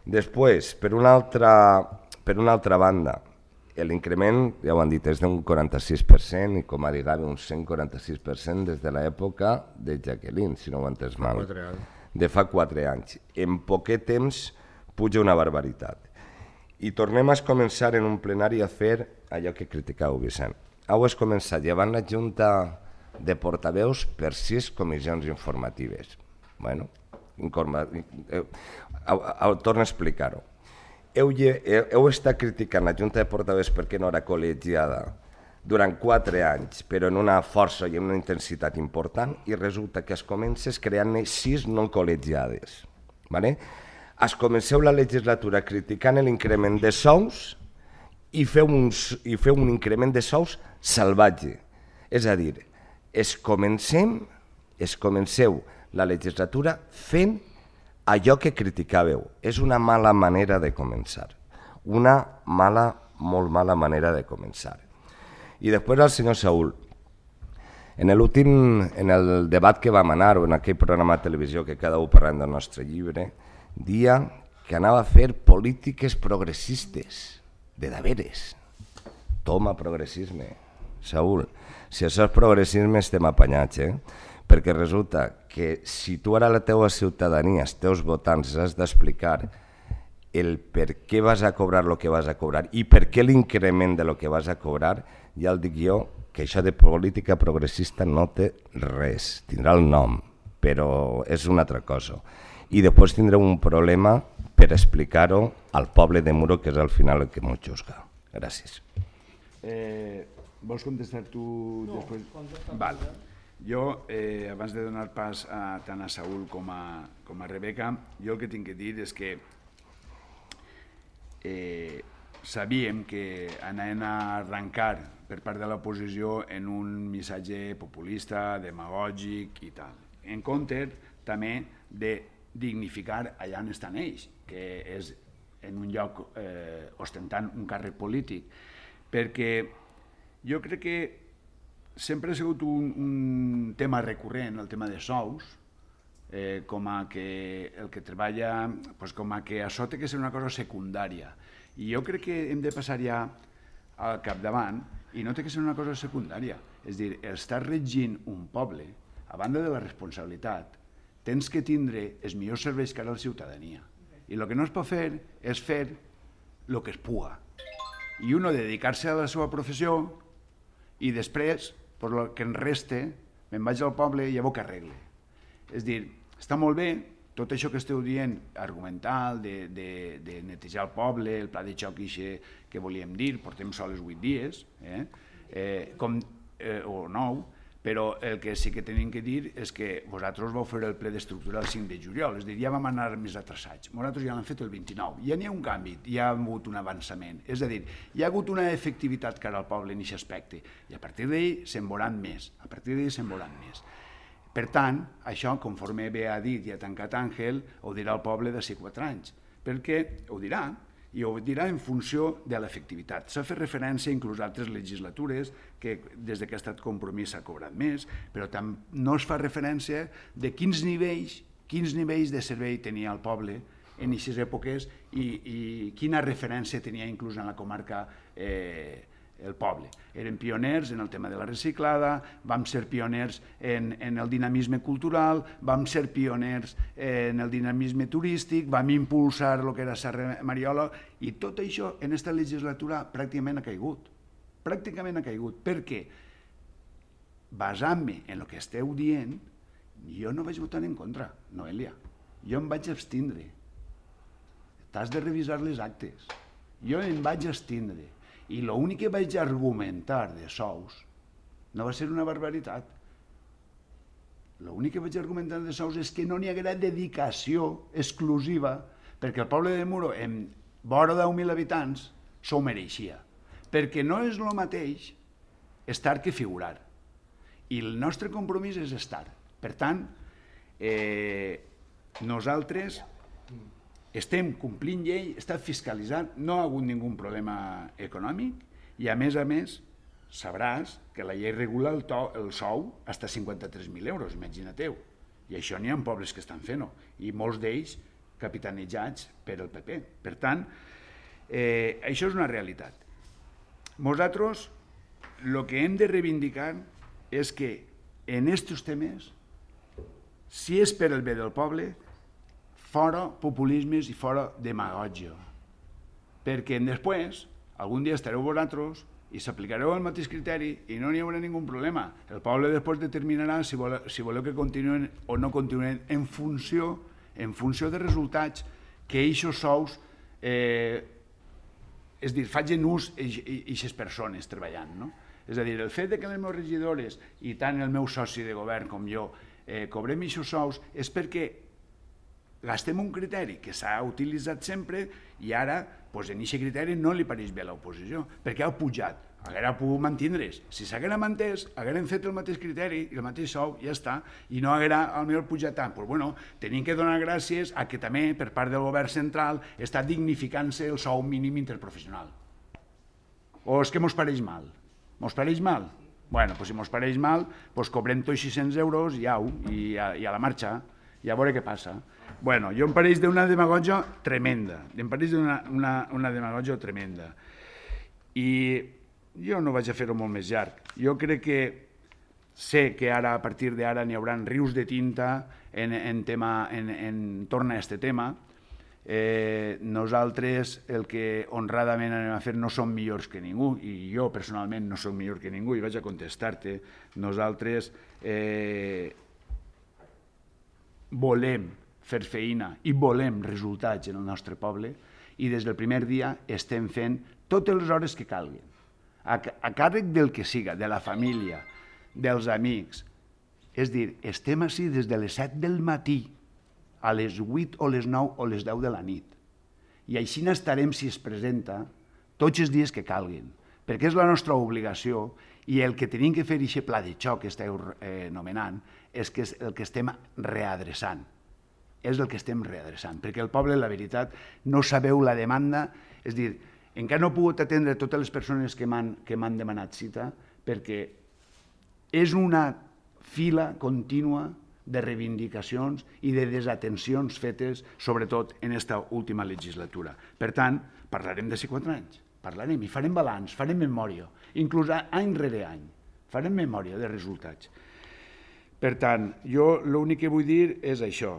Després, per una altra, per una altra banda, l'increment, ja ho han dit, és d'un quaranta-sis per cent i com a digava un cent quaranta-sis per cent des de l'època de Jacqueline, si no ho he entès mal, de fa quatre anys. En poquet temps puja una barbaritat. I tornem a començar en un plenari a fer allò que criticau, Vicent. Heu començat llevant la Junta de portaveus per sis comissions informatives. Bueno, torno a explicar-ho. Heu, heu estat criticant la Junta de Portaveus perquè no era col·legiada durant quatre anys, però en una força i en una intensitat important, i resulta que es comences creant-ne sis no col·legiades. Vale? Es comenceu la legislatura criticant l'increment de sous i feu, un, i feu un increment de sous salvatge. És a dir, es comencem, es comenceu la legislatura fent allò que criticàveu. És una mala manera de començar, una mala, molt mala manera de començar. I després al senyor Saúl, en l'últim, en el debat que vam anar, o en aquell programa de televisió que cada un parlant del nostre llibre, dia que anava a fer polítiques progressistes, de deberes. Toma progressisme, Saúl. Si això és progressisme estem apanyats, eh? Perquè resulta que si tu ara la teua ciutadania, els teus votants, has d'explicar el per què vas a cobrar el que vas a cobrar i per què l'increment de lo que vas a cobrar, ja el dic jo, que això de política progressista no té res, tindrà el nom, però és una altra cosa. I després tindreu un problema per explicar-ho al poble de Muro, que és al final el que m'ho juzga. Gràcies. Eh, vols contestar tu després? No, val. Jo, eh, abans de donar pas a, tant a Saúl com a, com a Rebeca, jo el que tinc que dir és que eh, sabíem que anaven a arrencar per part de l'oposició en un missatge populista, demagògic i tal. En compte també de dignificar allà on estan ells, que és en un lloc eh, ostentant un càrrec polític, perquè jo crec que sempre ha sigut un, un tema recurrent, el tema de sous, eh, com a que el que treballa, pues com a que això té que ser una cosa secundària. I jo crec que hem de passar ja al capdavant i no té que ser una cosa secundària. És a dir, estar regint un poble, a banda de la responsabilitat, tens que tindre els millors serveis que ara la ciutadania. I el que no es pot fer és fer el que es puga. I uno dedicar-se a la seva professió i després, per el que em reste, me'n vaig al poble i llavors que arregle. És dir, està molt bé tot això que esteu dient, argumental, de, de, de netejar el poble, el pla de xoc ixe que volíem dir, portem sols vuit dies, eh? Eh, com, eh, o nou, però el que sí que tenim que dir és que vosaltres vau fer el ple d'estructura el cinc de juliol, és a dir, ja vam anar més atrasats. Nosaltres ja l'hem fet el vint-i-nou, ja n'hi ha un canvi, ja ha hagut un avançament, és a dir, hi ha hagut una efectivitat cara al poble en aquest aspecte, i a partir d'ahir se'n veuran més, a partir d'ahir se'n veuran més. Per tant, això, conforme bé ha dit i ha tancat Àngel, ho dirà el poble d'ací quatre anys, perquè ho dirà, i ho dirà en funció de l'efectivitat. S'ha fet referència inclús a altres legislatures que des que ha estat compromís s'ha cobrat més, però no es fa referència de quins nivells, quins nivells de servei tenia el poble en aquestes èpoques i, i quina referència tenia inclús en la comarca eh, el poble. Eren pioners en el tema de la reciclada, vam ser pioners en, en el dinamisme cultural, vam ser pioners en el dinamisme turístic, vam impulsar el que era Serra Mariola, i tot això en aquesta legislatura pràcticament ha caigut. Pràcticament ha caigut. Per què? Basant-me en el que esteu dient, jo no vaig votar en contra, Noelia. Jo em vaig abstindre. T'has de revisar les actes. Jo em vaig abstindre. I l'únic que vaig argumentar de sous no va ser una barbaritat. L'únic que vaig argumentar de sous és que no n'hi haguera dedicació exclusiva perquè el poble de Muro, en vora deu mil habitants, s'ho mereixia. Perquè no és el mateix estar que figurar. I el nostre compromís és estar. Per tant, eh, nosaltres estem complint llei, està fiscalitzant, no ha hagut ningun problema econòmic i a més a més sabràs que la llei regula el, to, el sou fins a cinquanta-tres mil euros, imagina-teu. I això n'hi ha pobles que estan fent-ho i molts d'ells capitanejats per el P P. Per tant, eh, això és una realitat. Nosaltres el que hem de reivindicar és que en aquests temes, si és per el bé del poble, fora populismes i fora demagògia. Perquè després, algun dia estareu vosaltres i s'aplicareu el mateix criteri i no n'hi haurà ningun problema. El poble després determinarà si voleu, si voleu que continuen o no continuen en funció, en funció de resultats que aquests sous, eh, és a dir, facin ús aquestes persones treballant. No? És a dir, el fet que les meves regidores i tant el meu soci de govern com jo eh, cobrem aquests sous és perquè gastem un criteri que s'ha utilitzat sempre i ara doncs, en aquest criteri no li pareix bé a l'oposició perquè ha pujat, haguera pogut mantindre's. Si s'haguera mantès, hagueren fet el mateix criteri i el mateix sou, ja està, i no haguera potser pujat tant. Doncs bueno, tenim que donar gràcies a que també per part del govern central està dignificant-se el sou mínim interprofessional. O és que mos pareix mal? Mos pareix mal? Bueno, doncs si mos pareix mal, doncs cobrem tots sis-cents euros i au, i a, i a la marxa, i a veure què passa. Bueno, jo em pareix d'una demagògia tremenda, em pareix d'una una, una demagògia tremenda. I jo no vaig a fer-ho molt més llarg. Jo crec que sé que ara, a partir d'ara, n'hi haurà rius de tinta en, en, tema, en, en torn a aquest tema. Eh, nosaltres el que honradament anem a fer no som millors que ningú, i jo personalment no soc millor que ningú, i vaig a contestar-te. Nosaltres eh, volem fer feina i volem resultats en el nostre poble i des del primer dia estem fent totes les hores que calguin, a, a càrrec del que siga, de la família, dels amics. És dir, estem ací des de les set del matí a les vuit o les nou o les deu de la nit. I així n'estarem, si es presenta, tots els dies que calguin, perquè és la nostra obligació i el que tenim que fer aquest pla de xoc que esteu eh, nomenant és que és el que estem readreçant. És el que estem readreçant, perquè el poble, la veritat, no sabeu la demanda, és dir, encara no he pogut atendre totes les persones que m'han demanat cita, perquè és una fila contínua de reivindicacions i de desatencions fetes, sobretot en aquesta última legislatura. Per tant, parlarem de quatre anys, parlarem i farem balanç, farem memòria, inclús any rere any, farem memòria de resultats. Per tant, jo l'únic que vull dir és això.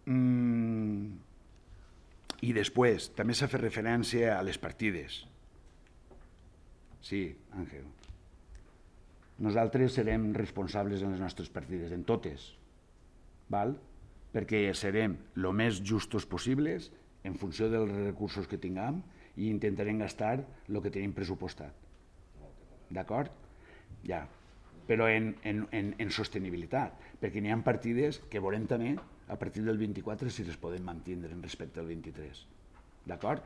Mm. I després, també s'ha fet referència a les partides. Sí, Àngel. Nosaltres serem responsables en les nostres partides, en totes, val? Perquè serem el més justos possibles en funció dels recursos que tinguem i intentarem gastar el que tenim pressupostat. D'acord? Ja. Però en, en, en, en sostenibilitat, perquè n'hi ha partides que veurem també a partir del vint-i-quatre si les podem mantindre respecte al vint-i-tres. D'acord?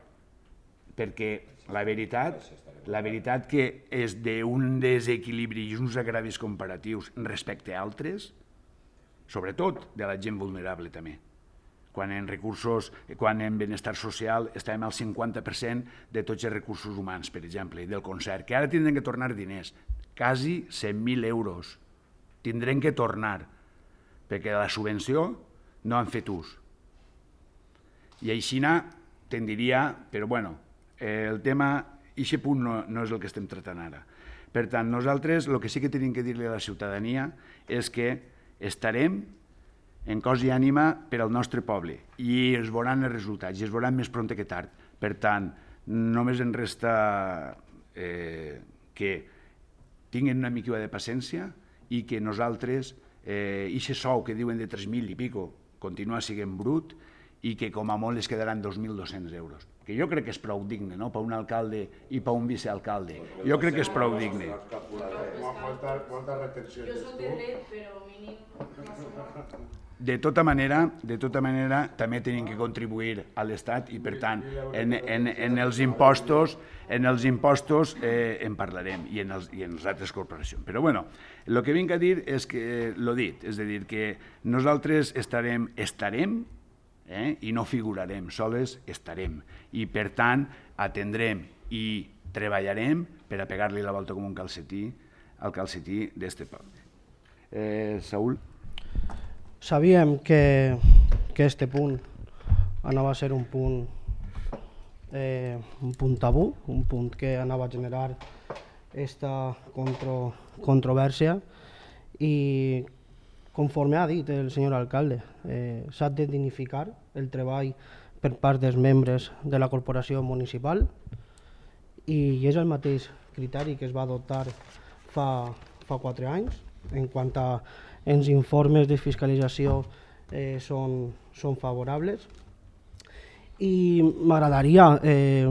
Perquè la veritat, la veritat que és d'un desequilibri i uns agravis comparatius respecte a altres, sobretot de la gent vulnerable també. Quan en recursos, quan en benestar social estàvem al cinquanta per cent de tots els recursos humans, per exemple, del concert, que ara tindrem que tornar diners, quasi cent mil euros. Tindrem que tornar, perquè la subvenció no han fet ús. I així te'n diria, però bueno, el tema, aquest punt no, no és el que estem tractant ara. Per tant, nosaltres el que sí que tenim que dir-li a la ciutadania és que estarem en cos i ànima per al nostre poble i es veuran els resultats i es veuran més prompte que tard. Per tant, només en resta eh, que tinguin una mica de paciència i que nosaltres, eh, aquest sou que diuen de tres mil i pico, continua sent brut i que com a molt es quedaran dos mil dos-cents euros. Que jo crec que és prou digne, no?, per un alcalde i per un vicealcalde. Jo crec que és prou digne. Molta retenció tens tu. De tota manera, de tota manera, també tenim que contribuir a l'Estat i, per tant, en, en, en els impostos, en els impostos eh, en parlarem i en, els, i en les altres corporacions. Però, bueno, el que vinc a dir és que, l'ho dit, és a dir, que nosaltres estarem, estarem, eh, i no figurarem, soles estarem. I, per tant, atendrem i treballarem per a pegar-li la volta com un calcetí al calcetí d'este poble. Eh, Saúl? Sabíem que, que este punt anava a ser un punt, eh, un punt tabú, un punt que anava a generar esta contro, controvèrsia i, conforme ha dit el senyor alcalde, eh, s'ha de dignificar el treball per part dels membres de la corporació municipal i és el mateix criteri que es va adoptar fa, fa quatre anys en quant a els informes de fiscalització eh, són, són favorables. I m'agradaria, eh,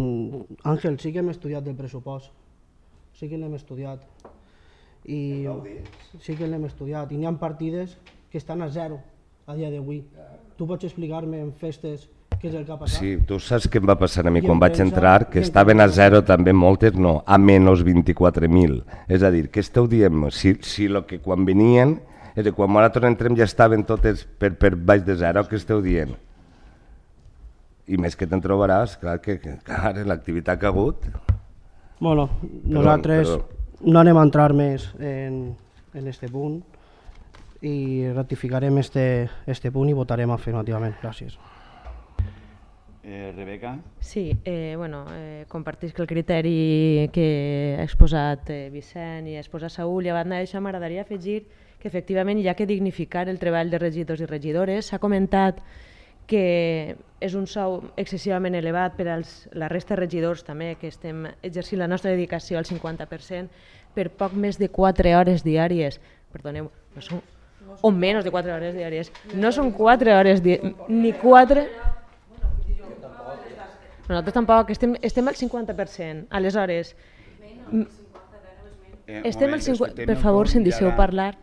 Àngel, sí que hem estudiat del pressupost, sí que l'hem estudiat, i sí que l'hem estudiat, i n'hi ha partides que estan a zero a dia d'avui. Tu pots explicar-me en festes què és el que ha passat? Sí, tu saps què em va passar a mi quan vaig entrar, que estaven a zero també moltes, no, a menys vint-i-quatre mil. És a dir, què esteu dient? Si, si lo que quan venien, és a dir, quan nosaltres entrem ja estaven totes per, per baix de zero, què esteu dient? I més que te'n trobaràs, clar, que, que clar, l'activitat que ha hagut. Bueno, nosaltres perdó. No anem a entrar més en, en este punt i ratificarem este, este punt i votarem afirmativament. Gràcies. Eh, Rebeca? Sí, eh, bueno, eh, compartís que el criteri que ha exposat eh, Vicent i ha exposat Saúl, i a banda d'això m'agradaria afegir que efectivament hi ha que dignificar el treball de regidors i regidores. S'ha comentat que és un sou excessivament elevat per als la resta de regidors també, que estem exercint la nostra dedicació al cinquanta per cent per poc més de quatre hores diàries. Perdoneu, no són, o menys de quatre hores diàries. No són quatre hores diàries, ni quatre... Nosaltres tampoc, estem, estem al cinquanta per cent. Aleshores, estem al cinquanta per cent, per favor, si em deixeu parlar.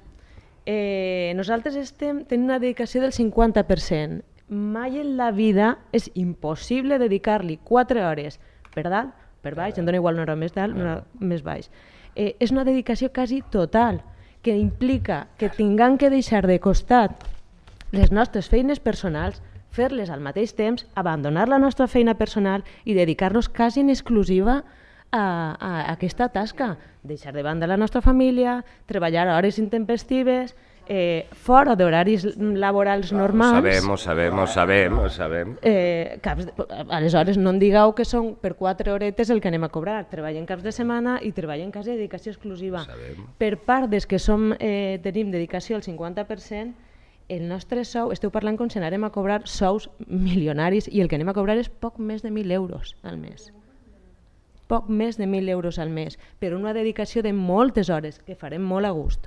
Eh, nosaltres estem tenint una dedicació del cinquanta per cent. Mai en la vida és impossible dedicar-li quatre hores per dalt, per baix, em dona igual una hora més dalt, una hora més baix. Eh, és una dedicació quasi total, que implica que tinguem que deixar de costat les nostres feines personals, fer-les al mateix temps, abandonar la nostra feina personal i dedicar-nos quasi en exclusiva a, a aquesta tasca, deixar de banda la nostra família, treballar a hores intempestives, eh, fora d'horaris laborals normals. Ho sabem, ho sabem, ho sabem, ho sabem. Eh, caps de, aleshores no em digueu que són per quatre horetes el que anem a cobrar. Treballen caps de setmana i treballen quasi de dedicació exclusiva. Per part des que som, eh, tenim dedicació al cinquanta per cent, el nostre sou, esteu parlant com si anàrem a cobrar sous milionaris i el que anem a cobrar és poc més de mil euros al mes. Poc més de mil euros al mes, per una dedicació de moltes hores, que farem molt a gust.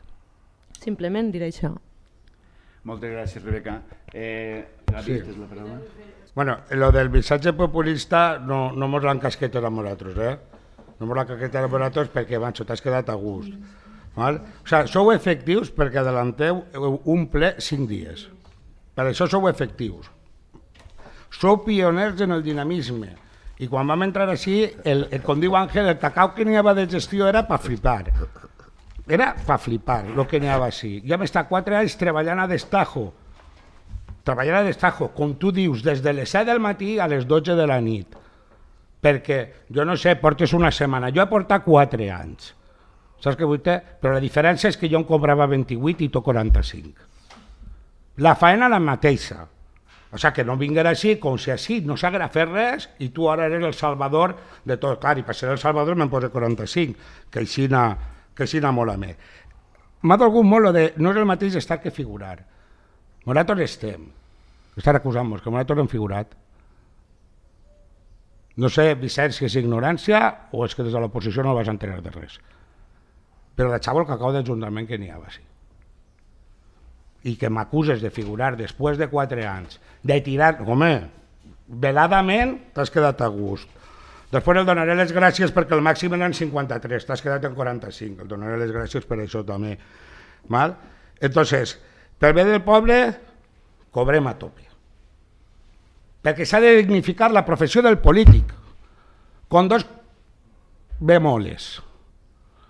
Simplement diré això. Moltes gràcies, Rebeca. Eh, Gavi, sí. Tens la paraula? Bueno, lo del missatge populista no, no mos l'han casquet a nosaltres, eh? No mos l'han casquet a nosaltres perquè, manxo, t'has quedat a gust. Val? O sigui, sou efectius perquè adelanteu un ple cinc dies. Per això sou efectius. Sou pioners en el dinamisme. I quan vam entrar així, el, el, com diu Àngel, el cacau que n'hi havia de gestió era per flipar. Era per flipar el que n'hi havia així. Ja vam estar quatre anys treballant a destajo. Treballant a destajo, com tu dius, des de les set del matí a les dotze de la nit. Perquè, jo no sé, portes una setmana. Jo he portat quatre anys. Saps què vull dir? Però la diferència és que jo em cobrava vint-i-vuit i tu quaranta-cinc. La faena la mateixa. O sigui, que no vinguera així, com si així no s'haguera fet res i tu ara eres el salvador de tot. Clar, i per ser el salvador me'n posa quaranta-cinc, que així n'ha que així n'ha molt a més. M'ha dolgut molt de no és el mateix estar que figurar. Nosaltres estem. Estar acusant-nos, que nosaltres hem figurat. No sé, Vicent, si és ignorància o és que des de l'oposició no vas enterar de res. Però de xavo el cacau d'Ajuntament que n'hi havia, sí. I que m'acuses de figurar després de quatre anys, de tirar... Home, veladament t'has quedat a gust. Després el donaré les gràcies perquè el màxim eren cinquanta-tres, t'has quedat en quaranta-cinc, el donaré les gràcies per això també. Val? Entonces, pel bé del poble, cobrem a tope. Perquè s'ha de dignificar la professió del polític, con dos bemoles.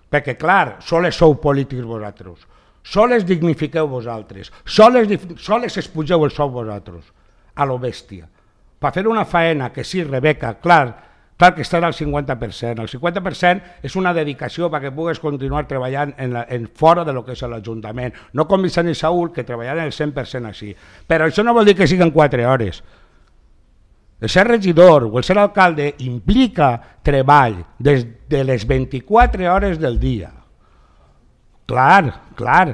Perquè, clar, sols sou polítics vosaltres, sols dignifiqueu vosaltres, sols, sols espugeu el sou vosaltres, a lo bèstia. Per fer una faena que sí, Rebeca, clar, clar que estarà al cinquanta per cent. El cinquanta per cent és una dedicació perquè pugues continuar treballant en la, en fora de lo que és l'Ajuntament. No com Vicent i Saúl, que treballaran el cent per cent així. Però això no vol dir que siguin quatre hores. El ser regidor o el ser alcalde implica treball des de les vint-i-quatre hores del dia. Clar, clar,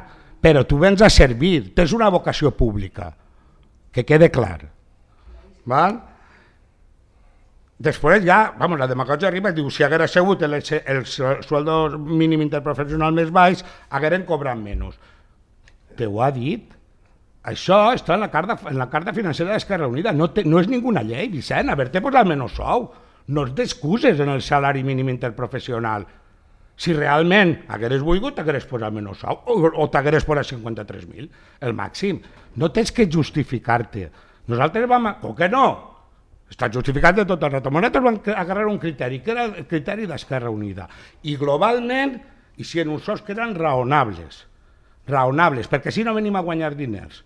però tu vens a servir, tens una vocació pública, que quede clar. Val? Després ja, vamos, la demagògia arriba i diu, si haguera sigut el, el sueldo mínim interprofessional més baix, hagueren cobrat menys. Te ho ha dit? Això està en la carta, en la carta financera d'Esquerra Unida. No, te, no és ninguna llei, Vicent, haver-te posat menys sou. No es d'excuses en el salari mínim interprofessional. Si realment hagueres volgut, t'hagueres posat menys sou o, o t'hagueres posat cinquanta-tres mil, el màxim. No tens que justificar-te. Nosaltres vam... Com que no? Està justificat de tot el rato. Nosaltres vam agarrar un criteri, que era el criteri d'Esquerra Unida. I globalment, i si en uns sous que eren raonables, raonables, perquè si no venim a guanyar diners.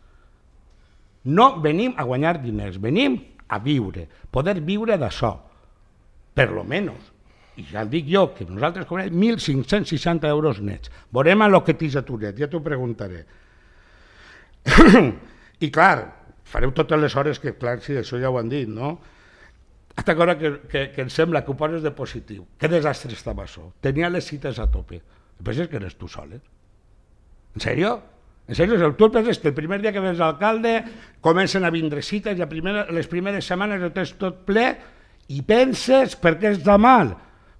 No venim a guanyar diners, venim a viure, poder viure d'això, per lo menys. I ja el dic jo, que nosaltres cobrem mil cinc-cents seixanta euros nets. Veurem a lo que tens a tu net, ja t'ho preguntaré. I clar, fareu totes les hores que, clar, sí, això ja ho han dit, no? Hasta que, que, que, que em sembla que ho poses de positiu. Que desastre estava això. Tenia les cites a tope. Penses que eres tu sol, eh? En sèrio? En sèrio? Tu penses que el primer dia que vens alcalde comencen a vindre cites i a primer, les primeres setmanes ho tens tot ple i penses per què està mal?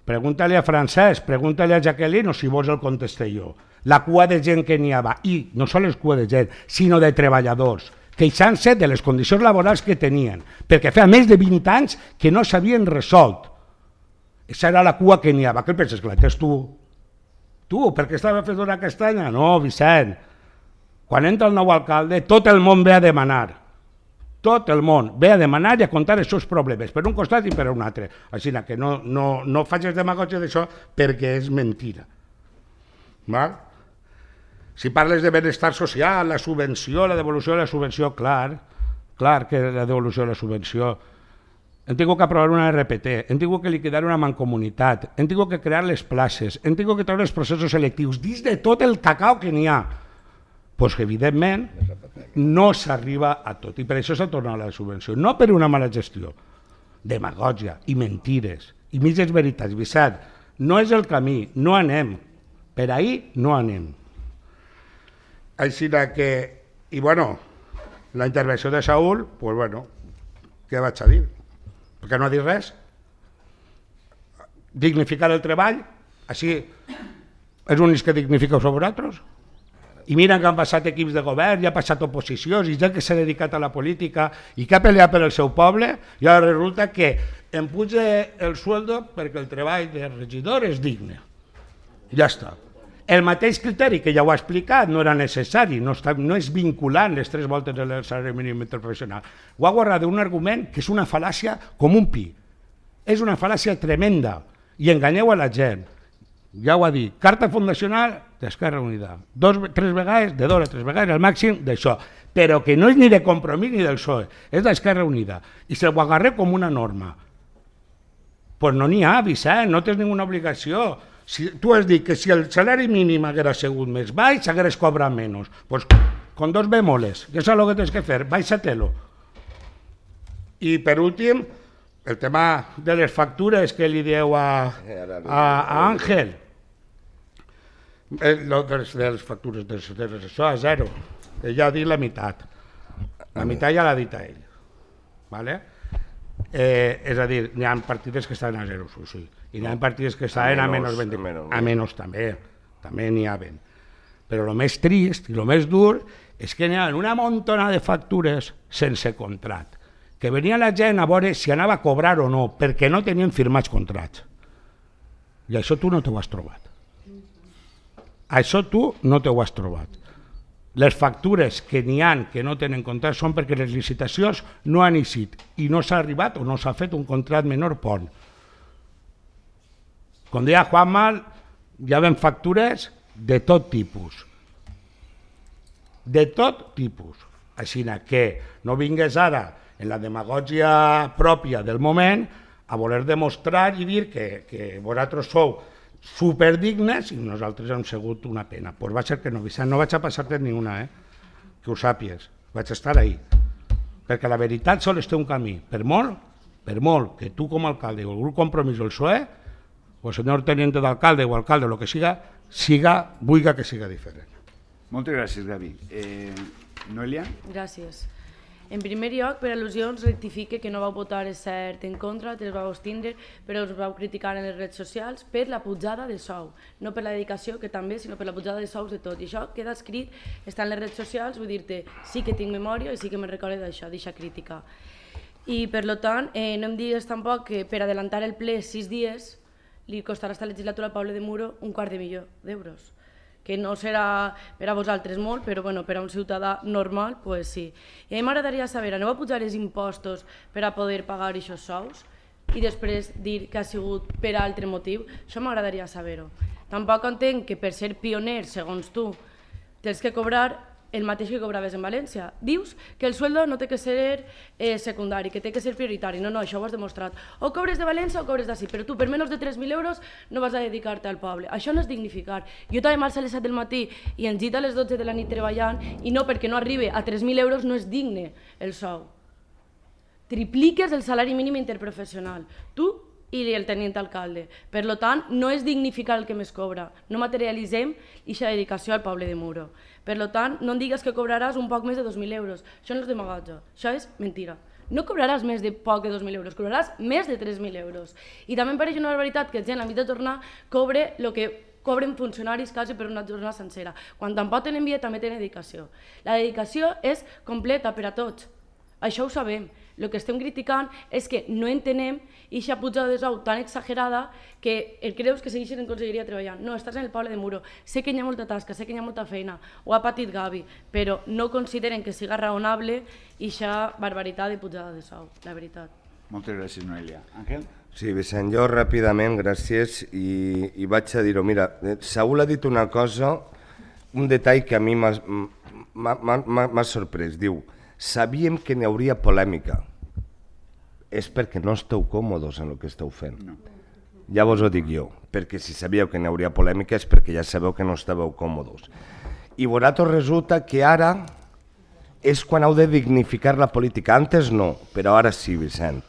Pregunta-li a Francesc, pregunta-li a Jacqueline o si vols el contesté jo. La cua de gent que n'hi havia, i no sols cua de gent, sinó de treballadors, queixant-se de les condicions laborals que tenien, perquè feia més de vint anys que no s'havien resolt. Aquesta era la cua que n'hi havia. Què penses, que la tens tu? Tu, perquè estava fet una castanya? No, Vicent. Quan entra el nou alcalde, tot el món ve a demanar. Tot el món ve a demanar i a contar els seus problemes, per un costat i per un altre. Així que no, no, no facis demagògia d'això perquè és mentira. Val? Si parles de benestar social, la subvenció, la devolució de la subvenció, clar, clar que la devolució de la subvenció hem tingut que aprovar una R P T, hem tingut que liquidar una mancomunitat, hem tingut que crear les places, hem tingut que treure els processos selectius, dins de tot el cacao que n'hi ha. Doncs que, evidentment, no s'arriba a tot, i per això s'ha tornat la subvenció, no per una mala gestió, demagògia i mentires, i mitges veritats. Vicent, no és el camí, no anem, per ahir no anem. Així que, i bueno, la intervenció de Saúl, doncs bueno, què vaig a dir? Perquè no ha dit res. Dignificar el treball, així és l'únic que dignifiqueu sobre vosaltres. I miren que han passat equips de govern, ja ha passat oposicions, i ja que s'ha dedicat a la política i que ha peleat per el seu poble, i ara resulta que em puja el sueldo perquè el treball de regidor és digne. Ja està. El mateix criteri, que ja ho ha explicat, no era necessari, no, està, no és vinculant les tres voltes del salari mínim interprofessional. Ho ha guardat d'un argument que és una fal·làcia com un pi. És una fal·làcia tremenda i enganyeu a la gent. Ja ho ha dit, carta fundacional d'Esquerra Unida. Dos, tres vegades, de dos a tres vegades, al màxim d'això. Però que no és ni de Compromís ni del P S O E, és d'Esquerra Unida. I se ho agarré com una norma. Doncs no n'hi ha, Vicent, no tens ninguna obligació. Si, tu has dit que si el salari mínim haguera sigut més baix, hagueres cobrat menys. Doncs con dos bemoles, que és el que tens que fer, baixa-te-lo. I per últim, el tema de les factures que li dieu a, a, a Àngel. Eh, lo de, les, de les factures, de, de les, això a zero. Ella ha dit la meitat. La meitat ja l'ha dit a ell. Vale? Eh, és a dir, n'hi ha partides que estan a zero, sí. I n'hi ha partides que estan a menys vint. A menys també, també n'hi ha ben. Però el més trist i el més dur és que n'hi ha una montona de factures sense contrat, que venia la gent a veure si anava a cobrar o no, perquè no tenien firmats contrats. I això tu no t'ho has trobat. Això tu no t'ho has trobat. Les factures que n'hi ha que no tenen contrat són perquè les licitacions no han eixit i no s'ha arribat o no s'ha fet un contrat menor pont. Com deia Juanma, hi ha factures de tot tipus. De tot tipus. Així que no vingués ara en la demagògia pròpia del moment a voler demostrar i dir que, que vosaltres sou superdignes i nosaltres hem sigut una pena. Doncs va ser que no, Vicent, no vaig a passar-te ni una, eh? Que ho sàpies, vaig estar ahí. Perquè la veritat sols té un camí, per molt, per molt que tu com a alcalde o el grup Compromís o el P S O E, o el senyor teniente d'alcalde o alcalde o el que siga, siga, vulga que siga diferent. Moltes gràcies, Gavi. Eh, Noelia? Gràcies. En primer lloc, per al·lusions, rectifique que no vau votar, és cert, en contra, te les vau abstindre, però us vau criticar en les redes socials per la pujada de sou. No per la dedicació, que també, sinó per la pujada de sous de tot. I això queda escrit, està en les redes socials, vull dir-te, sí que tinc memòria i sí que me'n recordo d'això, d'aquesta crítica. I, per tant, eh, no em digues tampoc que per adelantar el ple sis dies li costarà esta legislatura al poble de Muro un quart de milió d'euros. Que no serà per a vosaltres molt, però bueno, per a un ciutadà normal, pues sí. I a mi m'agradaria saber, aneu a pujar els impostos per a poder pagar aquests sous i després dir que ha sigut per altre motiu? Això m'agradaria saber-ho. Tampoc entenc que per ser pioner, segons tu, tens que cobrar el mateix que cobraves en València. Dius que el sueldo no té que ser eh, secundari, que té que ser prioritari. No, no, això ho has demostrat. O cobres de València o cobres d'ací, però tu per menys de tres mil euros no vas a dedicar-te al poble. Això no és dignificar. Jo també marxo a les set del matí i ens gita a les dotze de la nit treballant i no, perquè no arribi a tres mil euros no és digne el sou. Tripliques el salari mínim interprofessional. Tu i el tenint alcalde. Per tant, no és dignificar el que més cobra. No materialitzem aquesta dedicació al poble de Muro. Per tant, no em digues que cobraràs un poc més de dos mil euros. Això no és demagògia, això és mentira. No cobraràs més de poc de dos mil euros, cobraràs més de tres mil euros. I també em pareix una barbaritat que gent a mig de tornar cobre el que cobren funcionaris quasi per una jornada sencera. Quan tampoc tenen via també tenen dedicació. La dedicació és completa per a tots. Això ho sabem. El que estem criticant és que no entenem aquesta pujada de sou tan exagerada que el creus que segueixen en conselleria treballant. No, estàs en el poble de Muro. Sé que hi ha molta tasca, sé que hi ha molta feina, ho ha patit Gavi, però no consideren que siga raonable aquesta barbaritat de pujada de sou, la veritat. Moltes gràcies, Noelia. Àngel? Sí, Vicent, jo ràpidament, gràcies, i, i vaig a dir-ho. Mira, Saúl ha dit una cosa, un detall que a mi m'ha sorprès. Diu, sabíem que n'hi hauria polèmica. és perquè no esteu còmodes en el que esteu fent. Ja vos ho dic jo, perquè si sabíeu que n'hi hauria polèmica és perquè ja sabeu que no estàveu còmodes. I vosaltres resulta que ara és quan heu de dignificar la política. Antes no, però ara sí, Vicent.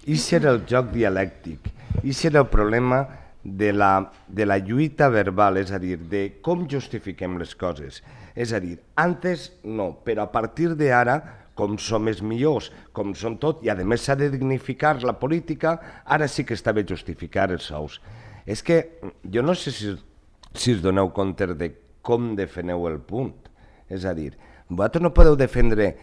I si era el joc dialèctic, i si era el problema de la, de la lluita verbal, és a dir, de com justifiquem les coses. És a dir, antes no, però a partir d'ara, com som els millors, com som tot, i a més s'ha de dignificar la política, ara sí que està bé justificar els sous. És que jo no sé si, si us doneu compte de com defeneu el punt. És a dir, vosaltres no podeu defendre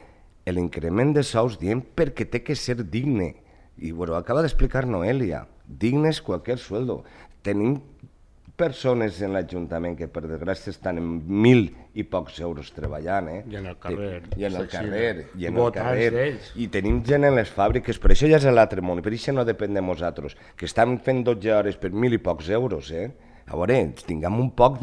l'increment de sous dient perquè té que ser digne. I bueno, acaba d'explicar Noelia, digne és qualsevol sueldo. Tenim persones en l'Ajuntament que per desgràcia estan en mil i pocs euros treballant, eh? I en el carrer. I en el carrer, i en el carrer. I tenim gent en les fàbriques, per això ja és l'altre món, i per això no depèn de nosaltres, que estan fent dotze hores per mil i pocs euros, eh? A veure, tinguem un poc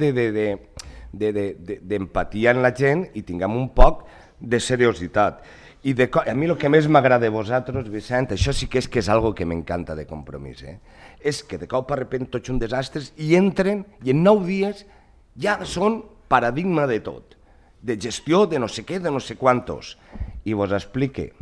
d'empatia en la gent i tinguem un poc de seriositat. I de, a mi el que més m'agrada de vosaltres, Vicent, això sí que és que és algo que m'encanta de compromís, eh? És que de cop a repent tots un desastres i entren i en nou dies ja són paradigma de tot, de gestió de no sé què, de no sé quantos. I vos explique,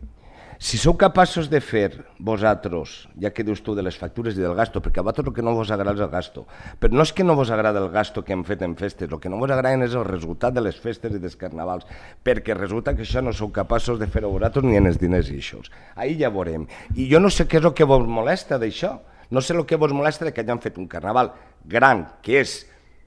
si sou capaços de fer vosaltres, ja que dius tu de les factures i del gasto, perquè a vosaltres el que no vos agrada és el gasto, però no és que no vos agrada el gasto que hem fet en festes, el que no vos agrada és el resultat de les festes i dels carnavals, perquè resulta que això no sou capaços de fer-ho vosaltres ni en els diners i això. Ahir ja veurem. I jo no sé què és el que vos molesta d'això, no sé el que vos molesta que hagin fet un carnaval gran, que és,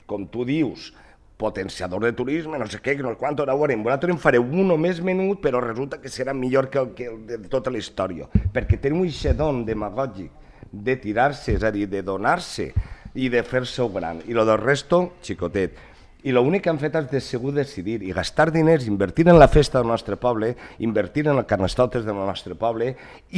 com tu dius, potenciador de turisme, no sé què, que no sé quant, ara ho veurem. Vosaltres en fareu un només menut, però resulta que serà millor que el, que el de tota la història, perquè teniu un xedon demagògic de tirar-se, és a dir, de donar-se i de fer-se-ho gran. I el del resto, xicotet. I l'únic que han fet és de segur decidir i gastar diners, invertir en la festa del nostre poble, invertir en els carnestoltes del nostre poble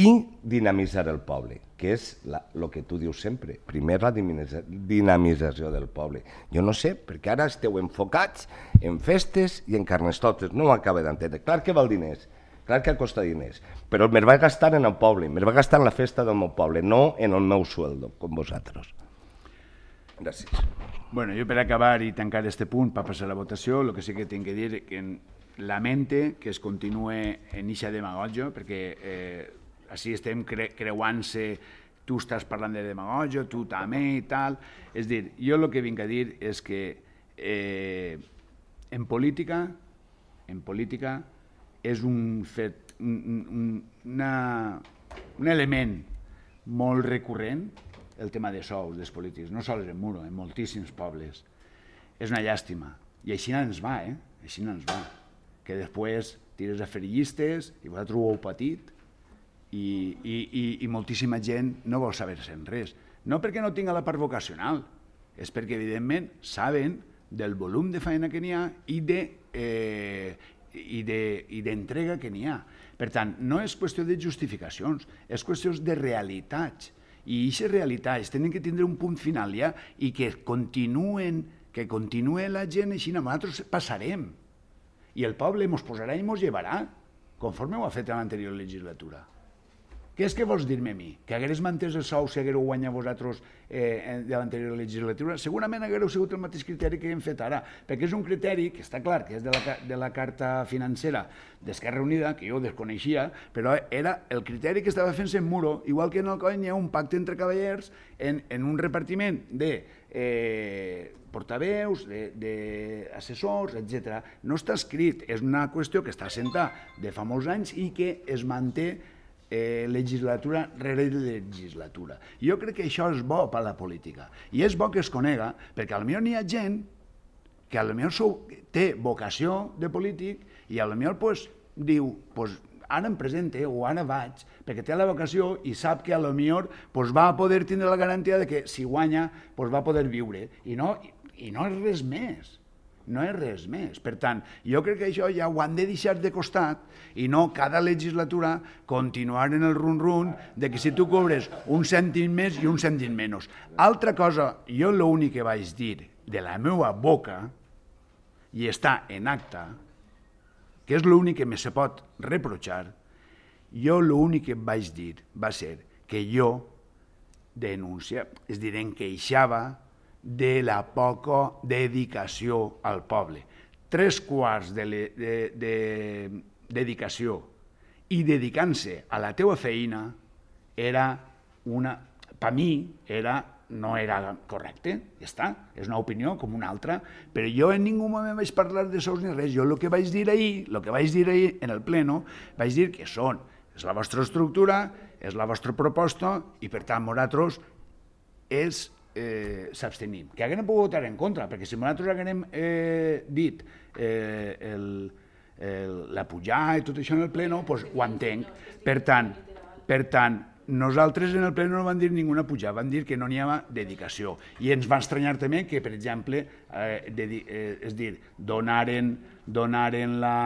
i dinamitzar el poble, que és el que tu dius sempre, primer la dinamització del poble. Jo no sé, perquè ara esteu enfocats en festes i en carnestoltes, no ho acabo d'entendre. Clar que val diners, clar que costa diners, però me'l vaig gastar en el poble, me'l vaig gastar en la festa del meu poble, no en el meu sueldo, com vosaltres. Gràcies. Bueno, jo per acabar i tancar aquest punt, per passar a la votació, el que sí que tinc que dir que lamente que es continue en eixa demagògia, perquè eh, així estem cre creuant-se, tu estàs parlant de demagògia, tu també i tal. És dir, jo el que vinc a dir és que eh, en política, en política és un fet, un, un, una, un element molt recurrent, el tema de sous dels polítics, no sols en Muro, en moltíssims pobles. És una llàstima. I així ens va, eh? Així ens va. Que després tires a fer llistes i vosaltres ho heu patit i, i, i, i moltíssima gent no vol saber-se'n res. No perquè no tinga la part vocacional, és perquè, evidentment, saben del volum de feina que n'hi ha i de... Eh, i d'entrega que n'hi ha. Per tant, no és qüestió de justificacions, és qüestió de realitats. I aquestes realitats tenen que tindre un punt final ja i que continuen, que continue la gent així, nosaltres passarem. I el poble ens posarà i ens llevarà, conforme ho ha fet en l'anterior legislatura. Què és que vols dir-me a mi? Que hagués mantès el sou si haguéreu guanyat vosaltres eh, de l'anterior legislatura? Segurament haguéreu sigut el mateix criteri que hem fet ara, perquè és un criteri que està clar que és de la, de la carta financera d'Esquerra Unida, que jo desconeixia, però era el criteri que estava fent-se en Muro, igual que en el coll hi ha un pacte entre cavallers en, en un repartiment de eh, portaveus, d'assessors, etcètera. No està escrit, és una qüestió que està assentada de fa molts anys i que es manté Eh, legislatura rere legislatura. Jo crec que això és bo per a la política. I és bo que es conega, perquè potser n'hi ha gent que potser té vocació de polític i potser pues, diu pues, ara em presente o ara vaig, perquè té la vocació i sap que potser pues, va poder tindre la garantia de que si guanya pues, va poder viure. I no, i no és res més. No és res més. Per tant, jo crec que això ja ho han de deixar de costat i no cada legislatura continuar en el run-run de que si tu cobres un cèntim més i un cèntim menys. Altra cosa, jo l'únic que vaig dir de la meva boca, i està en acta, que és l'únic que me se pot reprochar, Jo l'únic que vaig dir va ser que jo denuncia, és dir, em queixava de la poca dedicació al poble. Tres quarts de, de, de dedicació i dedicant-se a la teua feina era una, per mi, era, no era correcte, ja està, és una opinió com una altra, però jo en ningú moment vaig parlar de sous ni res, jo el que vaig dir ahir, el que vaig dir ahir en el pleno, vaig dir que són, és la vostra estructura, és la vostra proposta i per tant nosaltres és eh, s'abstenim. Que haguem pogut votar en contra, perquè si nosaltres haguem eh, dit eh, el, el, la pujada i tot això en el pleno, doncs ho entenc. Per tant, per tant, nosaltres en el pleno no van dir ninguna pujada, van dir que no n'hi havia dedicació. I ens va estranyar també que, per exemple, eh, de, eh, és dir, donaren, donaren la...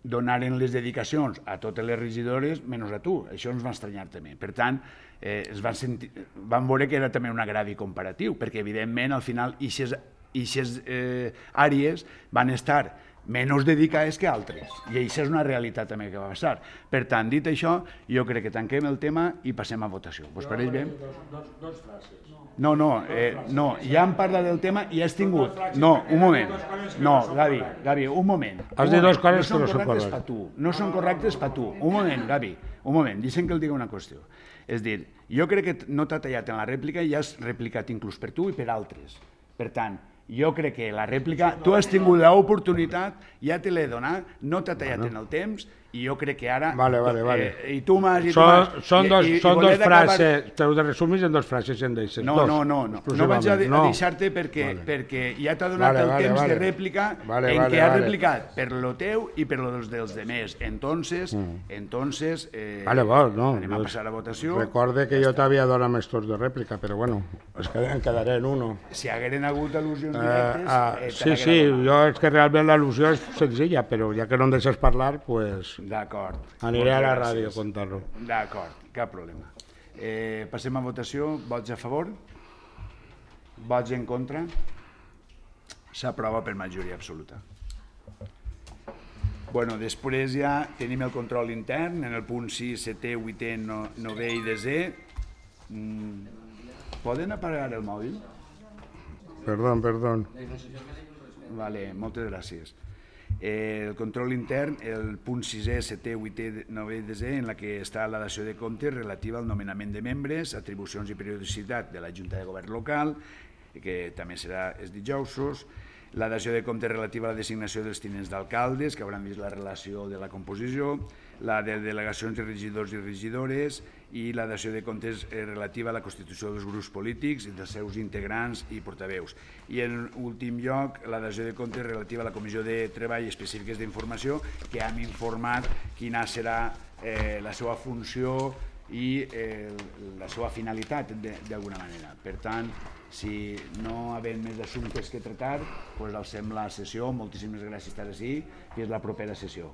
donaren les dedicacions a totes les regidores menys a tu. Això ens va estranyar també. Per tant, eh, es van, sentir, van veure que era també un agradi comparatiu, perquè evidentment al final aquestes eh, àrees van estar menys dedicades que altres. I això és una realitat també que va passar. Per tant, dit això, jo crec que tanquem el tema i passem a votació. Vos pareix bé? Dos, dos frases. No, no, eh, no, ja hem parlat del tema i has tingut... No, un moment. No, Gavi, Gavi, un moment. Has dit dues coses que no són correctes correctes. per tu. No són correctes per tu. Un moment, Gavi, un moment, deixa'm que el digui una qüestió. És dir, jo crec que no t'ha tallat en la rèplica i has replicat inclús per tu i per altres. Per tant, jo crec que la rèplica, tu has tingut l'oportunitat, ja te l'he donat, no t'ha tallat en el temps, i jo crec que ara... Vale, vale, vale. Eh, I tu m'has... Són, són dos, són dos frases, t'heu de resumir en dos frases i en deixes. No, dos, no, no, no, no vaig a, de, a deixar-te perquè, vale. perquè ja t'ha donat vale, el vale, temps vale. de rèplica vale, en vale, què has vale. replicat per lo teu i per los dels demés. Entonces, mm. entonces eh, vale, bon, no, anem a passar a votació. Recorde que jo t'havia donat més torns de rèplica, però bueno, es quedaré, quedaré en uno. Si hagueren hagut al·lusions Eh, directes... ah, Eh, sí, sí, jo és que realment l'al·lusió és senzilla, però ja que no em deixes parlar, pues... D'acord. Aniré a la ràdio a contar-lo. D'acord, cap problema. Eh, passem a votació. Vots a favor? Vots en contra? S'aprova per majoria absoluta. Bueno, després ja tenim el control intern en el punt sis, setè, vuitè, novè i desè. Mm, poden apagar el mòbil? Perdó, perdó. Vale, moltes gràcies. Eh, el control intern, el punt sisè, setè, vuitè, novè i desè, en la que està la dació de comptes relativa al nomenament de membres, atribucions i periodicitat de la Junta de Govern local, que també serà els dijousos, la dació de comptes relativa a la designació dels tinents d'alcaldes, que hauran vist la relació de la composició, la de delegacions i regidors i regidores i la dació de comptes relativa a la constitució dels grups polítics i dels seus integrants i portaveus. I en últim lloc, la dació de comptes relativa a la Comissió de Treball Específiques d'Informació, que hem informat quina serà eh, la seva funció i eh, la seva finalitat d'alguna manera. Per tant, si no havent més assumptes que tractar, doncs alcem la sessió. Moltíssimes gràcies per estar així, que és la propera sessió.